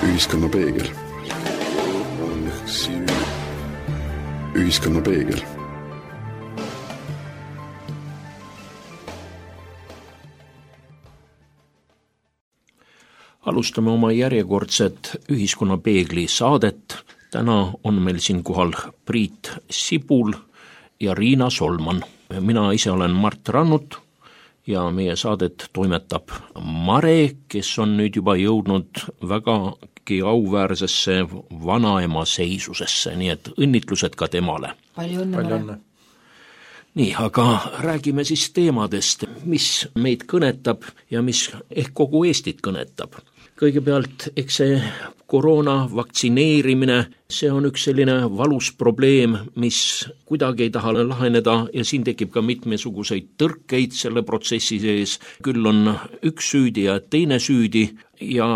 Ühiskonna peegel. Ühiskonna peegel. Alustame oma järjekordset Ühiskonna peegli saadet. Täna on meil siin kohal Priit Sibul ja Riina Solman. Mina ise olen Mart Rannut ja meie saadet toimetab Mare, kes on nüüd juba jõudnud vägagi auväärsesse vanaema seisusesse, nii et õnnitlused ka temale. Palju õnne. Nii, aga räägime siis teemadest, mis meid kõnetab ja mis ehk kogu Eestit kõnetab. Kõigepealt, eks see koroona vaktsineerimine, see on üks selline valus probleem, mis kuidagi ei taha laheneda ja siin tekib ka mitmesuguseid tõrkeid selle protsessi sees. Küll on üks süüdi ja teine süüdi ja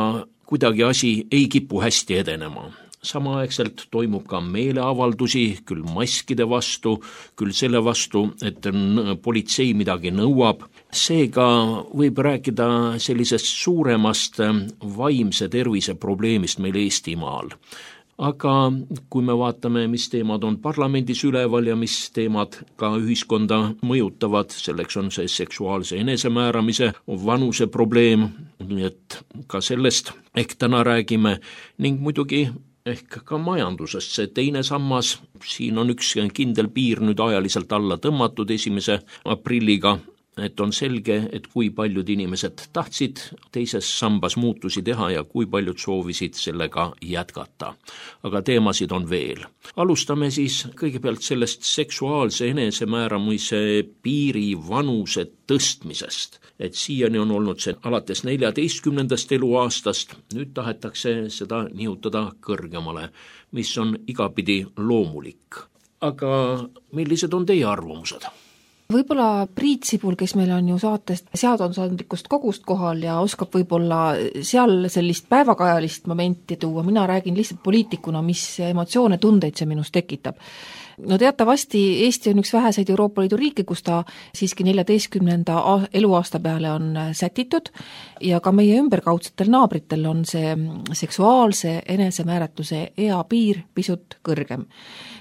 kuidagi asi ei kipu hästi edenema. Samaaegselt toimub ka meeleavaldusi, küll maskide vastu, küll selle vastu, et politsei midagi nõuab. Seega võib rääkida sellisest suuremast vaimse tervise probleemist meil Eestimaal. Aga kui me vaatame, mis teemad on parlamendis üleval ja mis teemad ka ühiskonda mõjutavad, selleks on see seksuaalse enesemääramise vanuse probleem, nii et ka sellest ehk täna räägime ning muidugi ehk ka majandusest. See teine sammas, siin on üks kindel piir nüüd ajaliselt alla tõmmatud 1. aprilliga, et on selge, et kui paljud inimesed tahtsid teises sambas muutusi teha ja kui paljud soovisid sellega jätkata. Aga teemasid on veel. Alustame siis kõigepealt sellest seksuaalse enesemääramise piiri vanuse tõstmisest. Et siiani on olnud see alates 14. eluaastast, nüüd tahetakse seda nihutada kõrgemale, mis on igapidi loomulik. Aga millised on teie arvamused? Võib-olla Priit Sibul, kes meil on ju saatest seadusandlikust kogust kohal ja oskab võib-olla seal sellist päevakajalist momenti tuua, mina räägin lihtsalt poliitikuna, mis emotsioone, tundeid see minus tekitab. No teatavasti Eesti on üks väheseid Euroopa Liidu riike, kus ta siiski 14. eluaasta peale on sätitud ja ka meie ümberkaudsetel naabritel on see seksuaalse enesemääratluse eapiir pisut kõrgem.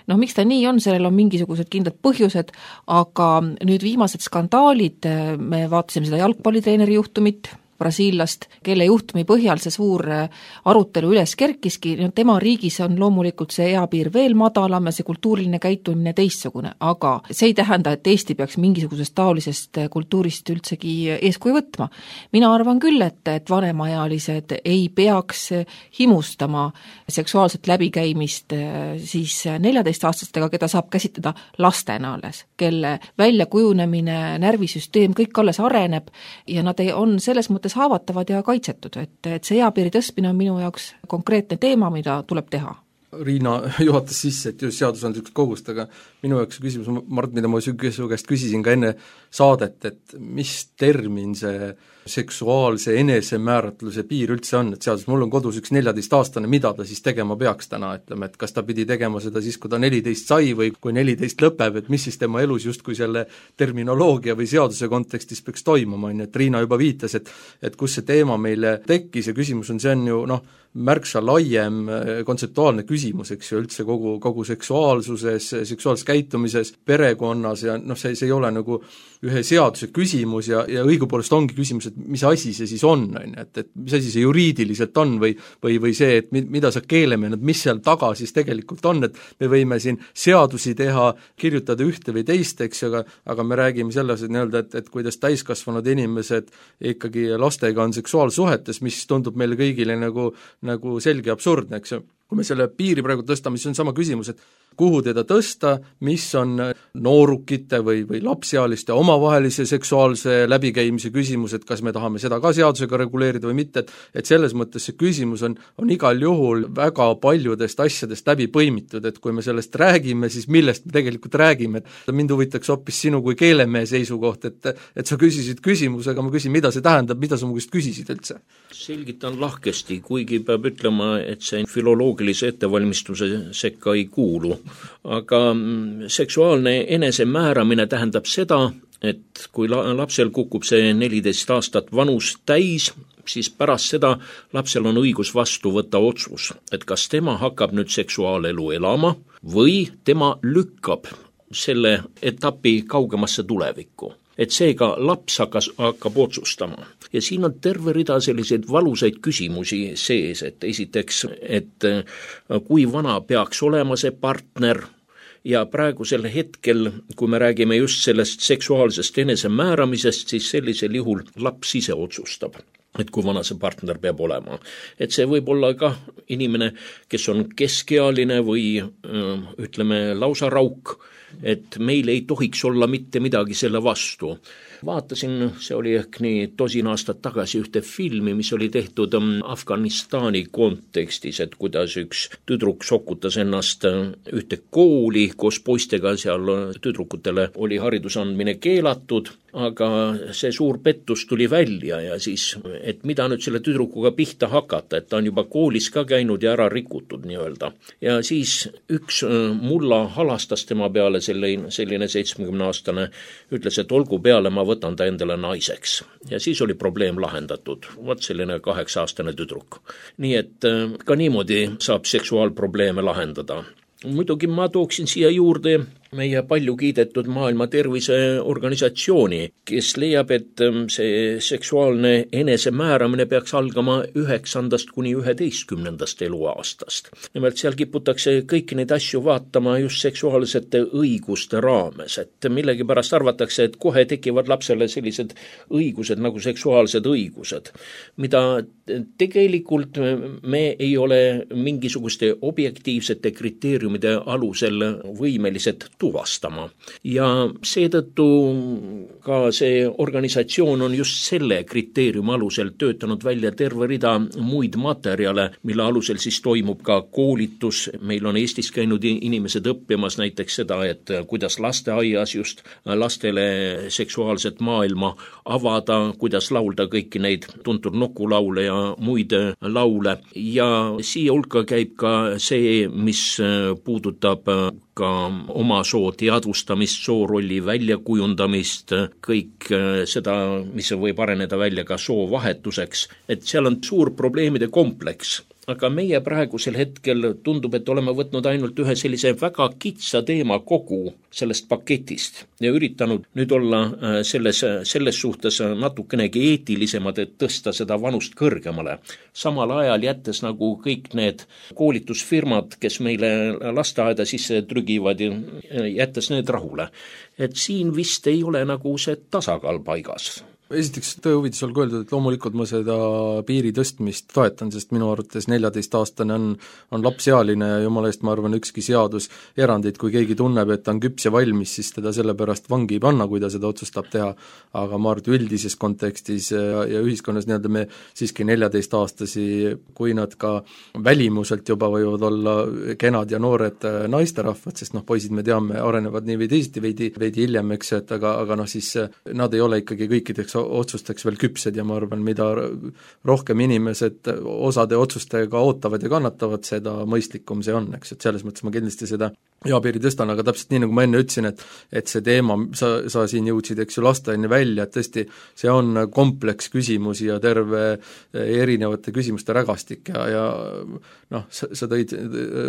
Miks ta nii on, sellel on mingisugused kindlad põhjused, aga nüüd viimased skandaalid, me vaatasime seda jalgpallitreeneri juhtumit, brasiillast, kelle juhtumi põhjal see suur arutelu üles kerkiski, tema riigis on loomulikult see eapiir veel madalam ja see kultuuriline käitumine teistsugune, aga see ei tähenda, et Eesti peaks mingisugusest taolisest kultuurist üldsegi eeskuju võtma. Mina arvan küll, et vanemaealised ei peaks himustama seksuaalset läbikäimist siis 14-aastastega, keda saab käsitleda lastena alles, kelle väljakujunemine, närvisüsteem, kõik alles areneb ja nad on selles mõttes haavatavad ja kaitsetud, et see eapiiri tõstmine on minu jaoks konkreetne teema, mida tuleb teha. Riina juhatas sisse, et just seadusandlikust kogust, aga minu jaoks küsimus, Mart, mida ma su käest küsisin ka enne saadet, et mis termin see seksuaalse enesemääratluse piir üldse on, et seadus, mul on kodus üks 14-aastane, mida ta siis tegema peaks täna, ütleme, et kas ta pidi tegema seda siis, kui ta 14 sai või kui 14 lõpeb, et mis siis tema elus justkui selle terminoloogia või seaduse kontekstis peaks toimuma, et Riina juba viitas, et kus see teema meile tekkis ja küsimus on, see on ju märksa laiem kontseptuaalne küsimus, eks ju, üldse kogu seksuaalsuses, seksuaalses käitumises, perekonnas ja see ei ole nagu ühe seaduse küsimus ja õigupoolest ongi küsimus, et mis asi see siis on, et mis asi see juriidiliselt on või see, et mida sa keelemehed, mis seal taga siis tegelikult on, et me võime siin seadusi teha, kirjutada ühte või teist, eks ju, aga me räägime selles, et kuidas täiskasvanud inimesed ikkagi lastega on seksuaalsuhetes, mis tundub meile kõigile nagu selge absurdne, eks ju. Kui me selle piiri praegu tõstame, siis on sama küsimus, et kuhu teda tõsta, mis on noorukite või lapsealiste omavahelise seksuaalse läbikäimise küsimus, et kas me tahame seda ka seadusega reguleerida või mitte, et selles mõttes see küsimus on igal juhul väga paljudest asjadest läbi põimitud, et kui me sellest räägime, siis millest me tegelikult räägime, et mind huvitaks hoopis sinu kui keelemehe seisukoht, et sa küsisid küsimuse, aga ma küsin, mida see tähendab, mida sa mu käest küsisid üldse? Selgitan lahkesti, kuigi peab ütlema, et see filoloogilise ettevalmistuse sekka ei kuulu. Aga seksuaalne enesemääramine tähendab seda, et kui lapsel kukub see 14 aastat vanus täis, siis pärast seda lapsel on õigus vastu võtta otsus, et kas tema hakkab nüüd seksuaalelu elama või tema lükkab selle etapi kaugemasse tulevikku. Et seega laps hakkab otsustama. Ja siin on terve rida selliseid valusaid küsimusi sees, et esiteks, et kui vana peaks olema see partner ja praegusel hetkel, kui me räägime just sellest seksuaalsest enesemääramisest, siis sellisel juhul laps ise otsustab, et kui vana see partner peab olema. Et see võib olla ka inimene, kes on keskealine või ütleme lausa rauk, et meil ei tohiks olla mitte midagi selle vastu. Vaatasin, see oli ehk nii 10 aastat tagasi ühte filmi, mis oli tehtud Afganistani kontekstis, et kuidas üks tüdruk sokutas ennast ühte kooli koos poistega, seal tüdrukutele oli hariduse andmine keelatud, aga see suur pettus tuli välja ja siis, et mida nüüd selle tüdrukuga pihta hakata, et ta on juba koolis ka käinud ja ära rikutud nii-öelda. Ja siis üks mulla halastas tema peale, selline 70-aastane, ütles, et olgu peale, ma võtan ta endale naiseks. Ja siis oli probleem lahendatud. Vot selline 8-aastane tüdruk. Nii et ka niimoodi saab seksuaalprobleeme lahendada. Muidugi ma tooksin siia juurde meie palju kiidetud Maailma Terviseorganisatsiooni, kes leiab, et see seksuaalne enesemääramine peaks algama 9. kuni 11. eluaastast. Nimelt seal kiputakse kõiki neid asju vaatama just seksuaalsete õiguste raames, et millegipärast arvatakse, et kohe tekivad lapsele sellised õigused nagu seksuaalsed õigused, mida tegelikult me ei ole mingisuguste objektiivsete kriteeriumide alusel võimelised tuvastama. Ja seetõttu ka see organisatsioon on just selle kriteeriumi alusel töötanud välja terve rida muid materjale, mille alusel siis toimub ka koolitus. Meil on Eestis käinud inimesed õppimas näiteks seda, et kuidas lasteaias just lastele seksuaalset maailma avada, kuidas laulda kõiki neid tuntud nokulaule ja muid laule. Ja siia hulka käib ka see, mis puudutab ka oma soo teadvustamist, soorolli väljakujundamist, kõik seda, mis võib areneda välja ka soovahetuseks, et seal on suur probleemide kompleks. Aga meie praegusel hetkel tundub, et oleme võtnud ainult ühe sellise väga kitsa teema kogu sellest paketist ja üritanud nüüd olla selles suhtes natukenegi eetilisemad, et tõsta seda vanust kõrgemale. Samal ajal jättes nagu kõik need koolitusfirmad, kes meile lasteaeda sisse trügivad, jättes need rahule. Et siin vist ei ole nagu see tasakaal paigas. Esiteks tõe huvides olgu öeldud, et loomulikult ma seda piiri tõstmist toetan, sest minu arvates 14-aastane on lapsealine ja jumala eest, ma arvan, ükski seadus erandid, kui keegi tunneb, et ta on küps ja valmis, siis teda sellepärast vangi ei panna, kui ta seda otsustab teha, aga ma arvan, üldises kontekstis ja ühiskonnas nii-öelda me siiski 14-aastasi, kui nad ka välimuselt juba võivad olla kenad ja noored naisterahvad, sest poisid me teame, arenevad nii või teisiti veidi hiljem, eks, et aga siis nad ei ole ikkagi kõikideks otsusteks veel küpsed ja ma arvan, mida rohkem inimesed osade otsustega ootavad ja kannatavad, seda mõistlikum see on, eks, et selles mõttes ma kindlasti seda eapiiri tõstan, aga täpselt nii, nagu ma enne ütlesin, et see teema, sa siin jõudsid, eks ju, lasteaine välja, et tõesti see on kompleks küsimusi ja terve erinevate küsimuste rägastik ja sa tõid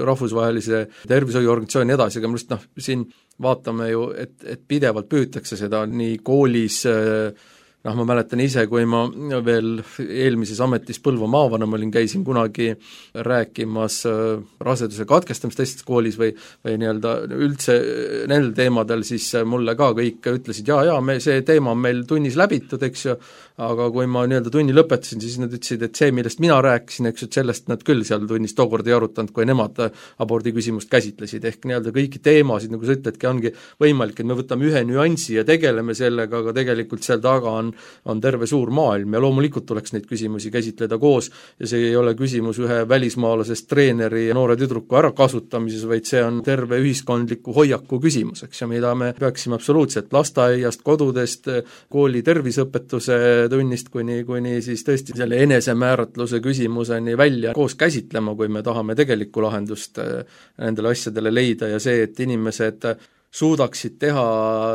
rahvusvahelise tervishoiuorganisatsiooni edasi, aga minu arust siin vaatame ju, et pidevalt püütakse seda nii koolis ma mäletan ise, kui ma veel eelmises ametis Põlva maavanema olin, käisin kunagi rääkimas raseduse katkestamist teistes koolis või nii-öelda üldse nendel teemadel, siis mulle ka kõik ütlesid, see teema on meil tunnis läbitud, eks ju, aga kui ma nii-öelda tunni lõpetasin, siis nad ütlesid, et see, millest mina rääkisin, eks ju, et sellest nad küll seal tunnis tookord ei arutanud, kui nemad abordi küsimust käsitlesid, ehk nii-öelda kõiki teemasid, nagu sa ütledki, ongi võimalik, et me võtame ühe nüansi ja tegeleme sellega, aga tegelikult seal taga on terve suur maailm ja loomulikult tuleks neid küsimusi käsitleda koos ja see ei ole küsimus ühe välismaalasest treeneri ja noore tüdruku ärakasutamises, vaid see on terve ühiskondliku hoiaku küsimus, eks, ja mida me peaksime absoluutselt lasteaiast, kodudest, kooli terviseõpetuse tunnist kuni siis tõesti selle enesemääratluse küsimuseni välja koos käsitlema, kui me tahame tegelikku lahendust nendele asjadele leida ja see, et inimesed suudaksid teha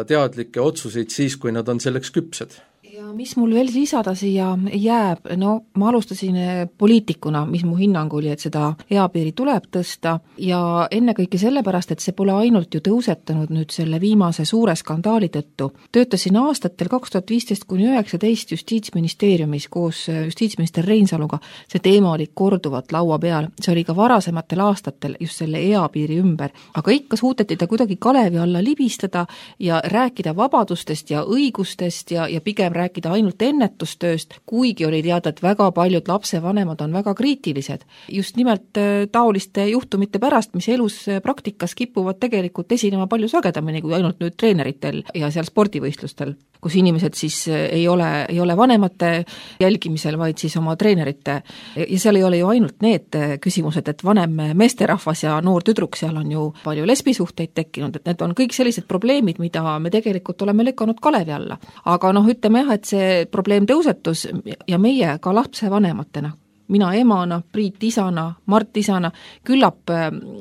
teadlikke otsuseid siis, kui nad on selleks küpsed. Ja ja mis mul veel lisada siia jääb, no ma alustasin poliitikuna, mis mu hinnang oli, et seda eapiiri tuleb tõsta ja ennekõike sellepärast, et see pole ainult ju tõusetunud nüüd selle viimase suure skandaali tõttu. Töötasin aastatel 2015–2019 Justiitsministeeriumis koos justiitsminister Reinsaluga, see teema oli korduvalt laua peal, see oli ka varasematel aastatel just selle eapiiri ümber, aga ikka suudeti ta kuidagi kalevi alla libistada ja rääkida vabadustest ja õigustest ja pigem rääkida ainult ennetustööst, kuigi oli teada, et väga paljud lapsevanemad on väga kriitilised. Just nimelt taoliste juhtumite pärast, mis elus praktikas kipuvad tegelikult esinema palju sagedamini kui ainult nüüd treeneritel ja seal spordivõistlustel, kus inimesed siis ei ole vanemate jälgimisel, vaid siis oma treenerite. Ja seal ei ole ju ainult need küsimused, et vanem meesterahvas ja noor tüdruk, seal on ju palju lesbisuhteid tekkinud, et need on kõik sellised probleemid, mida me tegelikult oleme lükanud kalevi alla. Aga ütleme jah, et see probleem tõusetus ja meie ka lapsevanematena, mina emana, Priit isana, Mart isana, küllap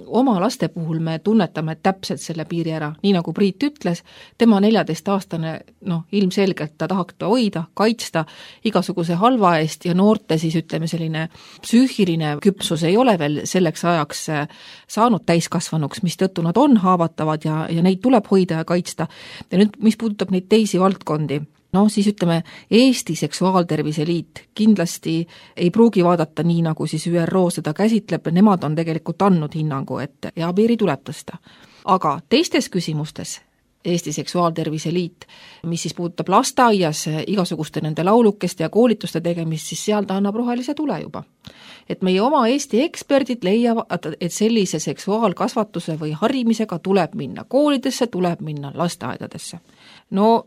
oma laste puhul me tunnetame täpselt selle piiri ära, nii nagu Priit ütles, tema 14-aastane, ilmselgelt ta tahaks hoida, kaitsta igasuguse halva eest ja noorte siis ütleme selline psüühiline küpsus ei ole veel selleks ajaks saanud täiskasvanuks, mistõttu nad on haavatavad ja neid tuleb hoida ja kaitsta. Ja nüüd, mis puudutab neid teisi valdkondi, siis ütleme, Eesti Seksuaaltervise Liit kindlasti ei pruugi vaadata nii, nagu siis ÜRO seda käsitleb, nemad on tegelikult andnud hinnangu, et eapiiri tuleb tõsta. Aga teistes küsimustes Eesti Seksuaaltervise Liit, mis siis puudutab lasteaias igasuguste nende laulukeste ja koolituste tegemist, siis seal ta annab rohelise tule juba. Et meie oma Eesti eksperdid leiavad, et sellise seksuaalkasvatuse või harimisega tuleb minna koolidesse, tuleb minna lasteaedadesse.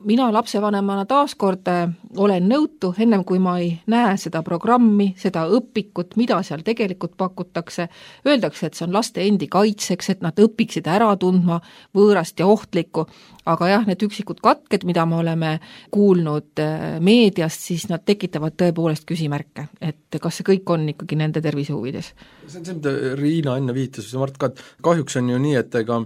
Mina lapsevanemana taaskord olen nõutu, ennem kui ma ei näe seda programmi, seda õpikut, mida seal tegelikult pakutakse, öeldakse, et see on laste endi kaitseks, et nad õpiksid ära tundma võõrast ja ohtlikku, aga jah, need üksikud katked, mida me oleme kuulnud meediast, siis nad tekitavad tõepoolest küsimärke, et kas see kõik on ikkagi nende tervise huvides. See on see, mida Riina enne viitas, Mart ka, kahjuks on ju nii, et ega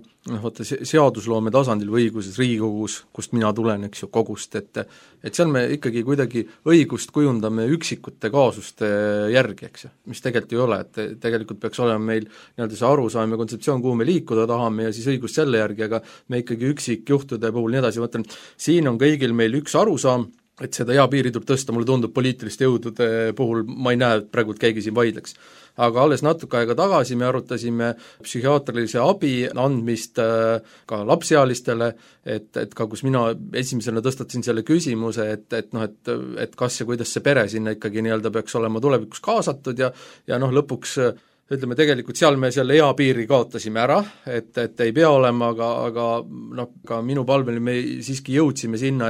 seadusloome tasandil või õiguses Riigikogus, kust mina tulen, eks ju, kogust, et seal me ikkagi kuidagi õigust kujundame üksikute kaasuste järgi, eks ju, mis tegelikult ei ole, et tegelikult peaks olema meil nii-öelda see arusaam ja kontseptsioon, kuhu me liikuda tahame ja siis õigust selle järgi, aga me ikkagi üksikjuhtude puhul nii edasi, mõtlen, siin on kõigil meil üks arusaam, et seda eapiiri tuleb tõsta, mulle tundub poliitiliste jõudude puhul, ma ei näe, et praegu keegi siin vaidleks. Aga alles natuke aega tagasi me arutasime psühhiaatrilise abi andmist ka lapsealistele, et ka kus mina esimesena tõstatasin selle küsimuse, et kas ja kuidas see pere sinna ikkagi nii-öelda peaks olema tulevikus kaasatud ja lõpuks ütleme, tegelikult seal me selle eapiiri kaotasime ära, et ei pea olema, aga ka minu palvel me siiski jõudsime sinna,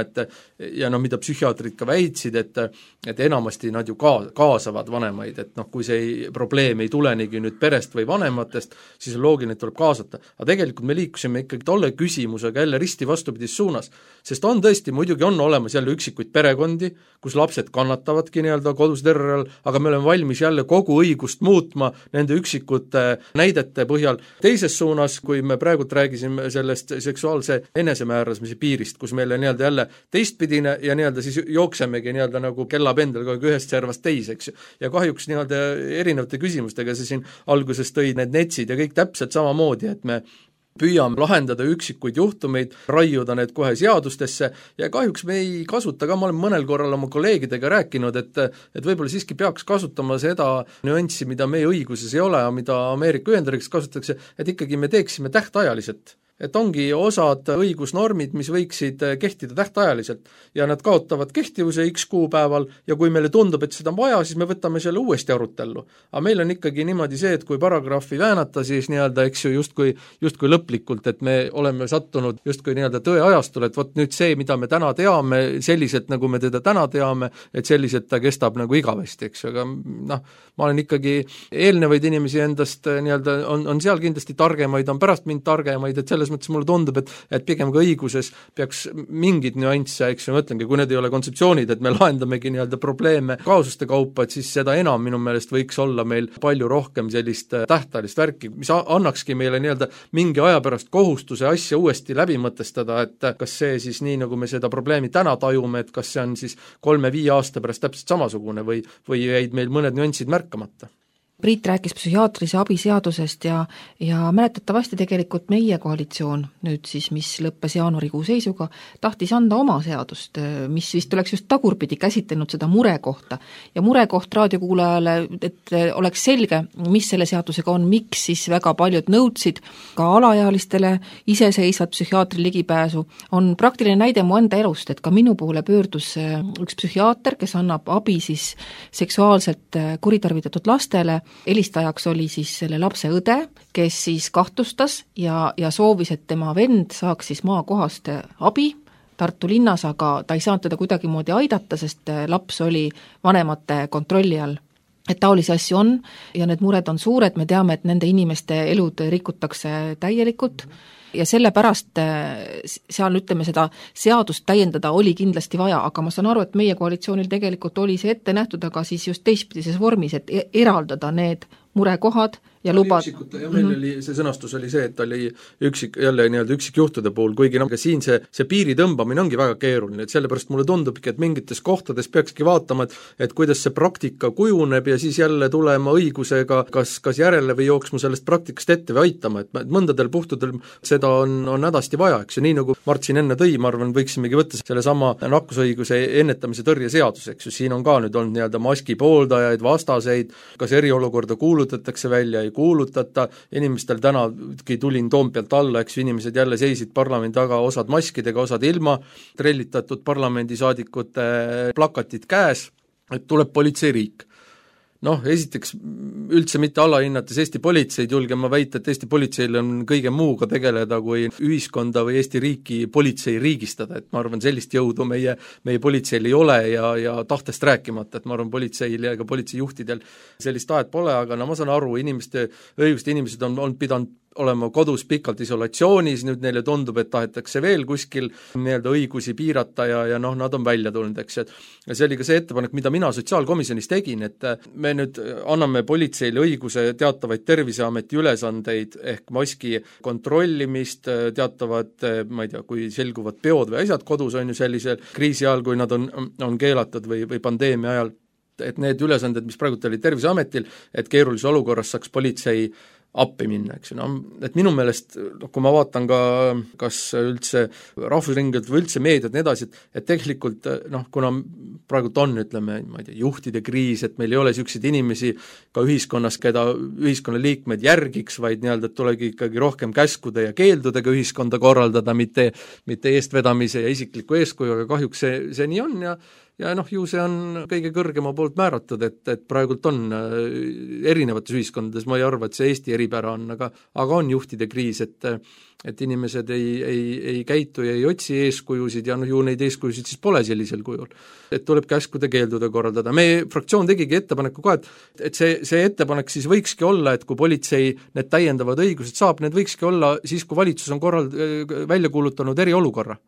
ja mida psühhiaatrid ka väitsid, et enamasti nad ju kaasavad vanemaid, et kui see probleem ei tulenegi nüüd perest või vanematest, siis on loogiline, et tuleb kaasata. Aga tegelikult me liikusime ikkagi tolle küsimusega jälle risti vastupidis suunas, sest on tõesti, muidugi on olemas jälle üksikuid perekondi, kus lapsed kannatavadki nii-öelda kodus terrori all, aga me oleme valmis jälle kogu õigust muutma nende üksikute näidete põhjal. Teises suunas, kui me praegult räägisime sellest seksuaalse enesemääramise piirist, kus meile nii-öelda jälle teistpidine ja nii-öelda siis jooksemegi nii-öelda nagu kellapendel kogu ühest servast teiseks. Ja kahjuks nii-öelda erinevate küsimustega see siin alguses tõi need netsid ja kõik täpselt samamoodi, et me püüame lahendada üksikuid juhtumeid, raiuda need kohe seadustesse ja kahjuks me ei kasuta ka, ma olen mõnel korral oma kolleegidega rääkinud, et võib-olla siiski peaks kasutama seda nüanssi, mida meie õiguses ei ole ja mida Ameerika Ühendriigis kasutatakse, et ikkagi me teeksime tähtajaliselt. Et ongi osad õigusnormid, mis võiksid kehtida tähtajaliselt ja nad kaotavad kehtivuse X kuupäeval ja kui meile tundub, et seda on vaja, siis me võtame selle uuesti arutellu. Aga meil on ikkagi niimoodi see, et kui paragrahvi väänata, siis nii-öelda, eks ju, justkui lõplikult, et me oleme sattunud justkui nii-öelda tõeajastul, et vot nüüd see, mida me täna teame, selliselt nagu me teda täna teame, et selliselt ta kestab nagu igavesti, eks ju, aga ma olen ikkagi eelnevaid inimesi endast nii-öelda, on seal kindlasti targemaid, on pärast mind targemaid, et selles selles mõttes mulle tundub, et pigem ka õiguses peaks mingid nüansse, eks ju, ma ütlengi, kui need ei ole kontseptsioonid, et me lahendamegi nii-öelda probleeme kaasuste kaupa, et siis seda enam minu meelest võiks olla meil palju rohkem sellist tähtajalist värki, mis annakski meile nii-öelda mingi aja pärast kohustuse asja uuesti läbi mõtestada, et kas see siis nii, nagu me seda probleemi täna tajume, et kas see on siis 3-5 aasta pärast täpselt samasugune või jäid meil mõned nüansid märkamata. Priit rääkis psühhiaatrilise abi seadusest ja mäletatavasti tegelikult meie koalitsioon, nüüd siis, mis lõppes jaanuarikuu seisuga, tahtis anda oma seadust, mis vist oleks just tagurpidi käsitlenud seda murekohta. Ja murekoht raadiokuulajale, et oleks selge, mis selle seadusega on, miks siis väga paljud nõudsid ka alaealistele iseseisvat psühhiaatri ligipääsu, on praktiline näide mu enda elust, et ka minu poole pöördus üks psühhiaater, kes annab abi siis seksuaalselt kuritarvitatud lastele. Helistajaks oli siis selle lapse õde, kes siis kahtlustas ja soovis, et tema vend saaks siis maakohast abi Tartu linnas, aga ta ei saanud teda kuidagimoodi aidata, sest laps oli vanemate kontrolli all. Et taolisi asju on ja need mured on suured, me teame, et nende inimeste elud rikutakse täielikult ja sellepärast seal, ütleme, seda seadust täiendada oli kindlasti vaja, aga ma saan aru, et meie koalitsioonil tegelikult oli see ette nähtud, aga siis just teistpidises vormis, et eraldada need murekohad ja lubad. Meil oli, see sõnastus oli see, et oli üksikjuhtude puhul, kuigi siin see piiri tõmbamine ongi väga keeruline, et sellepärast mulle tundubki, et mingites kohtades peakski vaatama, et kuidas see praktika kujuneb ja siis jälle tulema õigusega kas järele või jooksma sellest praktikast ette või aitama, et mõndadel puhtudel seda on hädasti vaja, eks ju, nii nagu Mart siin enne tõi, ma arvan, võiksimegi võtta selle sama nakkusõiguse ennetamise tõrje seadus, eks ju, siin on ka nüüd olnud nii-öelda maski pooldajaid, vastaseid, kas eriolukorda kuulutatakse välja, ei kuulutata, inimestel tänagi tulin Toompealt alla, eks inimesed jälle seisid parlamendi taga, osad maskidega, osad ilma, trellitatud parlamendisaadikute plakatid käes, et tuleb politseiriik. Esiteks üldse mitte alahinnates Eesti politseid, julgen ma väita, et Eesti politseil on kõige muuga tegeleda, kui ühiskonda või Eesti riiki politsei riigistada, et ma arvan, sellist jõudu meie politseil ei ole ja tahtest rääkimata, et ma arvan, politseil ja ka politseijuhtidel sellist tahet pole, aga ma saan aru, inimesed on pidanud olema kodus pikalt isolatsioonis, nüüd neile tundub, et tahetakse veel kuskil nii-öelda õigusi piirata ja nad on välja tulnud, eks. Ja see oli ka see ettepanek, mida mina sotsiaalkomisjonis tegin, et me nüüd anname politseile õiguse teatavaid Terviseameti ülesandeid ehk maski kontrollimist, teatavad, ma ei tea, kui selguvad peod või asjad kodus on ju sellisel kriisi ajal, kui nad on keelatud või pandeemia ajal, et need ülesanded, mis praegu olid Terviseametil, et keerulises olukorras saaks politsei appi minna, eks ju, et minu meelest, kui ma vaatan ka kas üldse rahvusringilt või üldse meediat nii edasi, et tegelikult kuna praegult on, ütleme, ma ei tea, juhtide kriis, et meil ei ole niisuguseid inimesi ka ühiskonnas, keda ühiskonnaliikmed järgiks, vaid nii-öelda, et tulegi ikkagi rohkem käskude ja keeldudega ühiskonda korraldada, mitte eestvedamise ja isikliku eeskuju, aga kahjuks see nii on ja ju see on kõige kõrgema poolt määratud, et praegult on erinevates ühiskondades, ma ei arva, et see Eesti eripära on, aga on juhtide kriis, et inimesed ei käitu ja ei otsi eeskujusid ja ju neid eeskujusid siis pole sellisel kujul. Et tuleb käskude keeldude korraldada. Meie fraktsioon tegigi ettepaneku ka, et see ettepanek siis võikski olla, et kui politsei need täiendavad õigused saab, need võikski olla siis, kui valitsus on välja kuulutanud eriolukorra.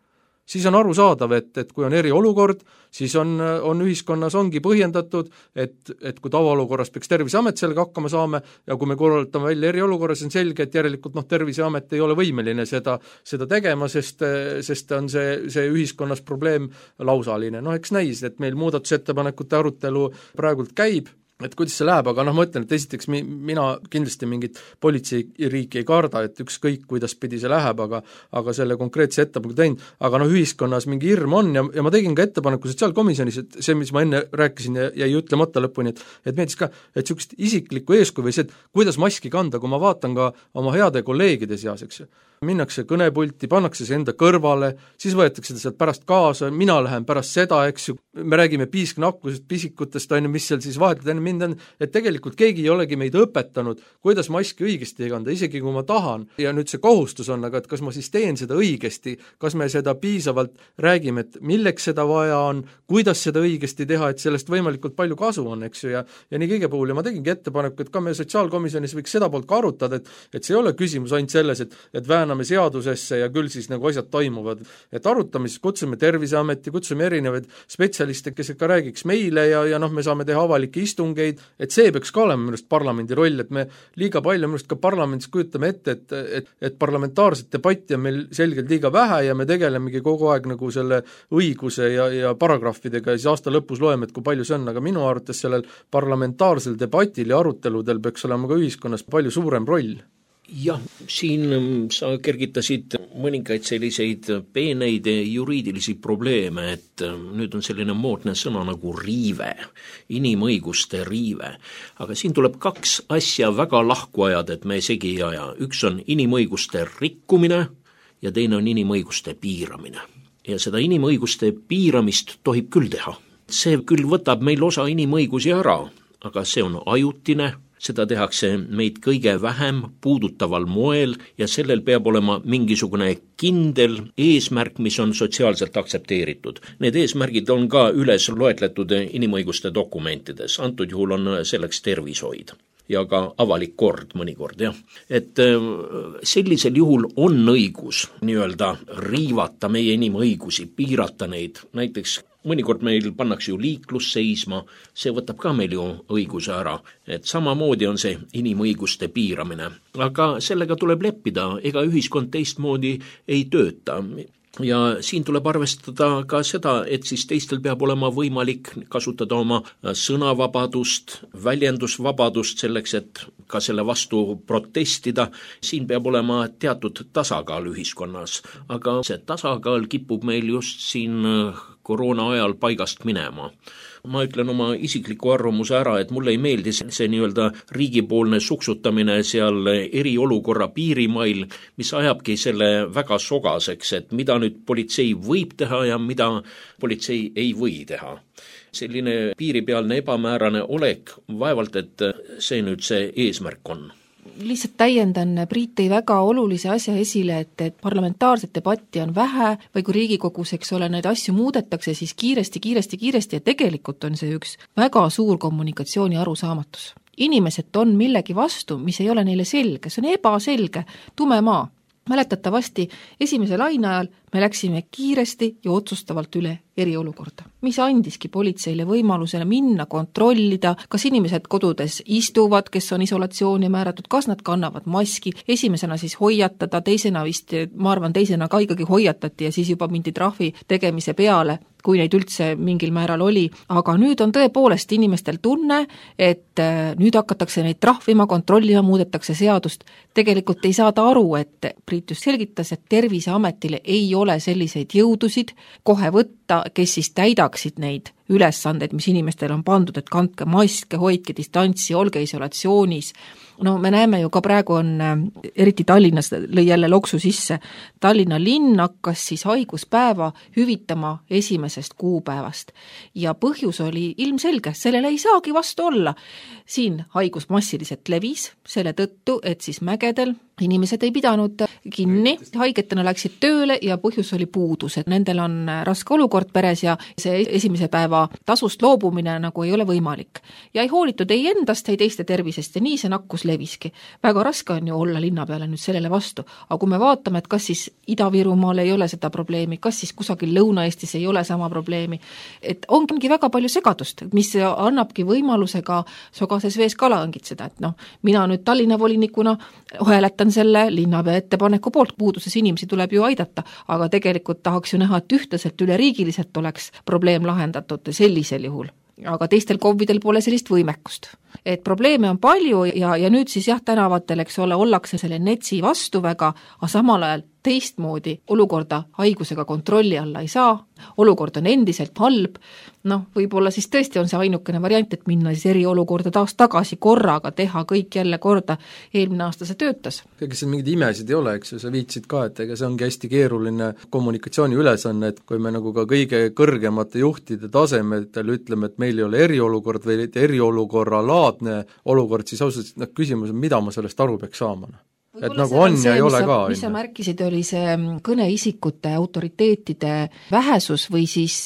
Siis on arusaadav, et kui on eriolukord, siis on ühiskonnas ongi põhjendatud, et kui tavaolukorras peaks Terviseamet sellega hakkama saama ja kui me korraldame välja eriolukorras, on selge, et järelikult Terviseamet ei ole võimeline seda tegema, sest on see ühiskonnas probleem lausaline. Eks näis, et meil muudatusettepanekute arutelu praegult käib, et kuidas see läheb, aga ma ütlen, et esiteks mina kindlasti mingit politseiriiki ei karda, et ükskõik kuidas pidi see läheb, aga selle konkreetse ettepaneku teinud, aga ühiskonnas mingi hirm on ja ma tegin ka ettepaneku sotsiaalkomisjonis, et see, mis ma enne rääkisin ja jäi ütlemata lõpuni, et meeldis ka, et niisugust isiklikku eeskuju või see, et kuidas maski kanda, kui ma vaatan ka oma heade kolleegide seas, eks ju, minnakse kõnepulti, pannakse see enda kõrvale, siis võetakse ta sealt pärast kaasa, mina lähen pärast seda, eks ju, me räägime piisknakkusest, pisikutest, mis seal siis vahetult enne mind on, et tegelikult keegi ei olegi meid õpetanud, kuidas maski õigesti kanda, isegi kui ma tahan, ja nüüd see kohustus on, aga et kas ma siis teen seda õigesti, kas me seda piisavalt räägime, et milleks seda vaja on, kuidas seda õigesti teha, et sellest võimalikult palju kasu on, eks ju, ja nii kõige puhul, ja ma tegingi ettepaneku, et ka me sotsiaalkomisjonis võiks seda poolt ka arutada, et see ei ole küsimus ainult selles, et vääname anname seadusesse ja küll siis nagu asjad toimuvad. Et arutame, siis kutsume Terviseameti, kutsume erinevaid spetsialiste, kes ka räägiks meile ja me saame teha avalikke istungeid, et see peaks ka olema minust parlamendi roll, et me liiga palju minust ka parlamendis kujutame ette, et parlamentaarset debatti on meil selgelt liiga vähe ja me tegelemegi kogu aeg nagu selle õiguse ja paragrahvidega ja siis aasta lõpus loeme, et kui palju see on, aga minu arvates sellel parlamentaarsel debatil ja aruteludel peaks olema ka ühiskonnas palju suurem roll. Jah, siin sa kergitasid mõningaid selliseid peeneid juriidilisi probleeme, et nüüd on selline moodne sõna nagu riive, inimõiguste riive. Aga siin tuleb kaks asja väga lahku ajada, et me segi ei aja. Üks on inimõiguste rikkumine ja teine on inimõiguste piiramine. Ja seda inimõiguste piiramist tohib küll teha. See küll võtab meil osa inimõigusi ära, aga see on ajutine, seda tehakse meid kõige vähem puudutaval moel ja sellel peab olema mingisugune kindel eesmärk, mis on sotsiaalselt aktsepteeritud. Need eesmärgid on ka üles loetletud inimõiguste dokumentides, antud juhul on selleks tervishoid ja ka avalik kord mõnikord, jah. Et sellisel juhul on õigus nii-öelda riivata meie inimõigusi, piirata neid, näiteks mõnikord meil pannakse ju liiklus seisma, see võtab ka meil ju õiguse ära, et samamoodi on see inimõiguste piiramine. Aga sellega tuleb leppida, ega ühiskond teistmoodi ei tööta. Ja siin tuleb arvestada ka seda, et siis teistel peab olema võimalik kasutada oma sõnavabadust, väljendusvabadust selleks, et ka selle vastu protestida. Siin peab olema teatud tasakaal ühiskonnas, aga see tasakaal kipub meil just siin koroona ajal paigast minema. Ma ütlen oma isikliku arvamuse ära, et mulle ei meeldi see nii-öelda riigipoolne suksutamine seal eriolukorra piirimail, mis ajabki selle väga sogaseks, et mida nüüd politsei võib teha ja mida politsei ei või teha. Selline piiripealne ebamäärane olek, vaevalt, et see nüüd see eesmärk on. Lihtsalt täiendan, Priit tõi väga olulise asja esile, et parlamentaarset debatti on vähe või kui Riigikogus, eks ole, neid asju muudetakse, siis kiiresti ja tegelikult on see üks väga suur kommunikatsiooni arusaamatus. Inimesed on millegi vastu, mis ei ole neile selge, see on ebaselge, tume maa. Mäletatavasti esimese laine ajal me läksime kiiresti ja otsustavalt üle eriolukorda, mis andiski politseile võimalusele minna, kontrollida, kas inimesed kodudes istuvad, kes on isolatsiooni määratud, kas nad kannavad maski, esimesena siis hoiatada, teisena vist, ma arvan, teisena ka ikkagi hoiatati ja siis juba mindi trahvi tegemise peale, kui neid üldse mingil määral oli, aga nüüd on tõepoolest inimestel tunne, et nüüd hakatakse neid trahvima, kontrollima, muudetakse seadust. Tegelikult ei saada aru, et Priit just selgitas, et Terviseametile ei ole selliseid jõudusid kohe võtta, kes siis täidaksid neid ülesandeid, mis inimestel on pandud, et kandke maske, hoidke distantsi, olge isolatsioonis. No me näeme ju ka praegu on, eriti Tallinnas lõi jälle loksu sisse, Tallinna linn hakkas siis haiguspäeva hüvitama esimesest kuupäevast. Ja põhjus oli ilmselge, sellele ei saagi vastu olla. Siin haigus massiliselt levis, selle tõttu, et siis mägedel inimesed ei pidanud kinni, haigetena läksid tööle ja põhjus oli puudus, et nendel on raske olukord peres ja see esimese päeva tasust loobumine nagu ei ole võimalik. Ja ei hoolitud ei endast, ei teiste tervisest ja nii see nakkus leviski. Väga raske on ju olla linna peale nüüd sellele vastu, aga kui me vaatame, et kas siis Ida-Virumaal ei ole seda probleemi, kas siis kusagil Lõuna-Eestis ei ole sama probleemi, et ongi väga palju segadust, mis annabki võimaluse ka sogases vees kala õngitseda, et mina nüüd Tallinna volinikuna hääletan selle linnapea ettepaneku poolt, puuduses inimesi tuleb ju aidata, aga tegelikult tahaks ju näha, et ühtlaselt üleriigiliselt oleks probleem lahendatud sellisel juhul. Aga teistel KOV-idel pole sellist võimekust. Et probleeme on palju ja nüüd siis tänavatel, eks ole, ollakse selle NETS-i vastu väga, aga samal ajal teistmoodi olukorda haigusega kontrolli alla ei saa, olukord on endiselt halb, võib-olla siis tõesti on see ainukene variant, et minna siis eriolukorda taas tagasi korraga, teha kõik jälle korda, eelmine aasta see töötas. Ega see mingid imesid ei ole, eks ju, sa viitsid ka, et ega see ongi hästi keeruline kommunikatsiooni ülesanne, et kui me nagu ka kõige kõrgemate juhtide tasemetel ütleme, et meil ei ole eriolukord või eriolukorra laadne olukord, siis ausalt küsimus on, mida ma sellest aru peaks saama? Et nagu on ja ei ole ka. Mis sa märkisid, oli see kõneisikute autoriteetide vähesus või siis,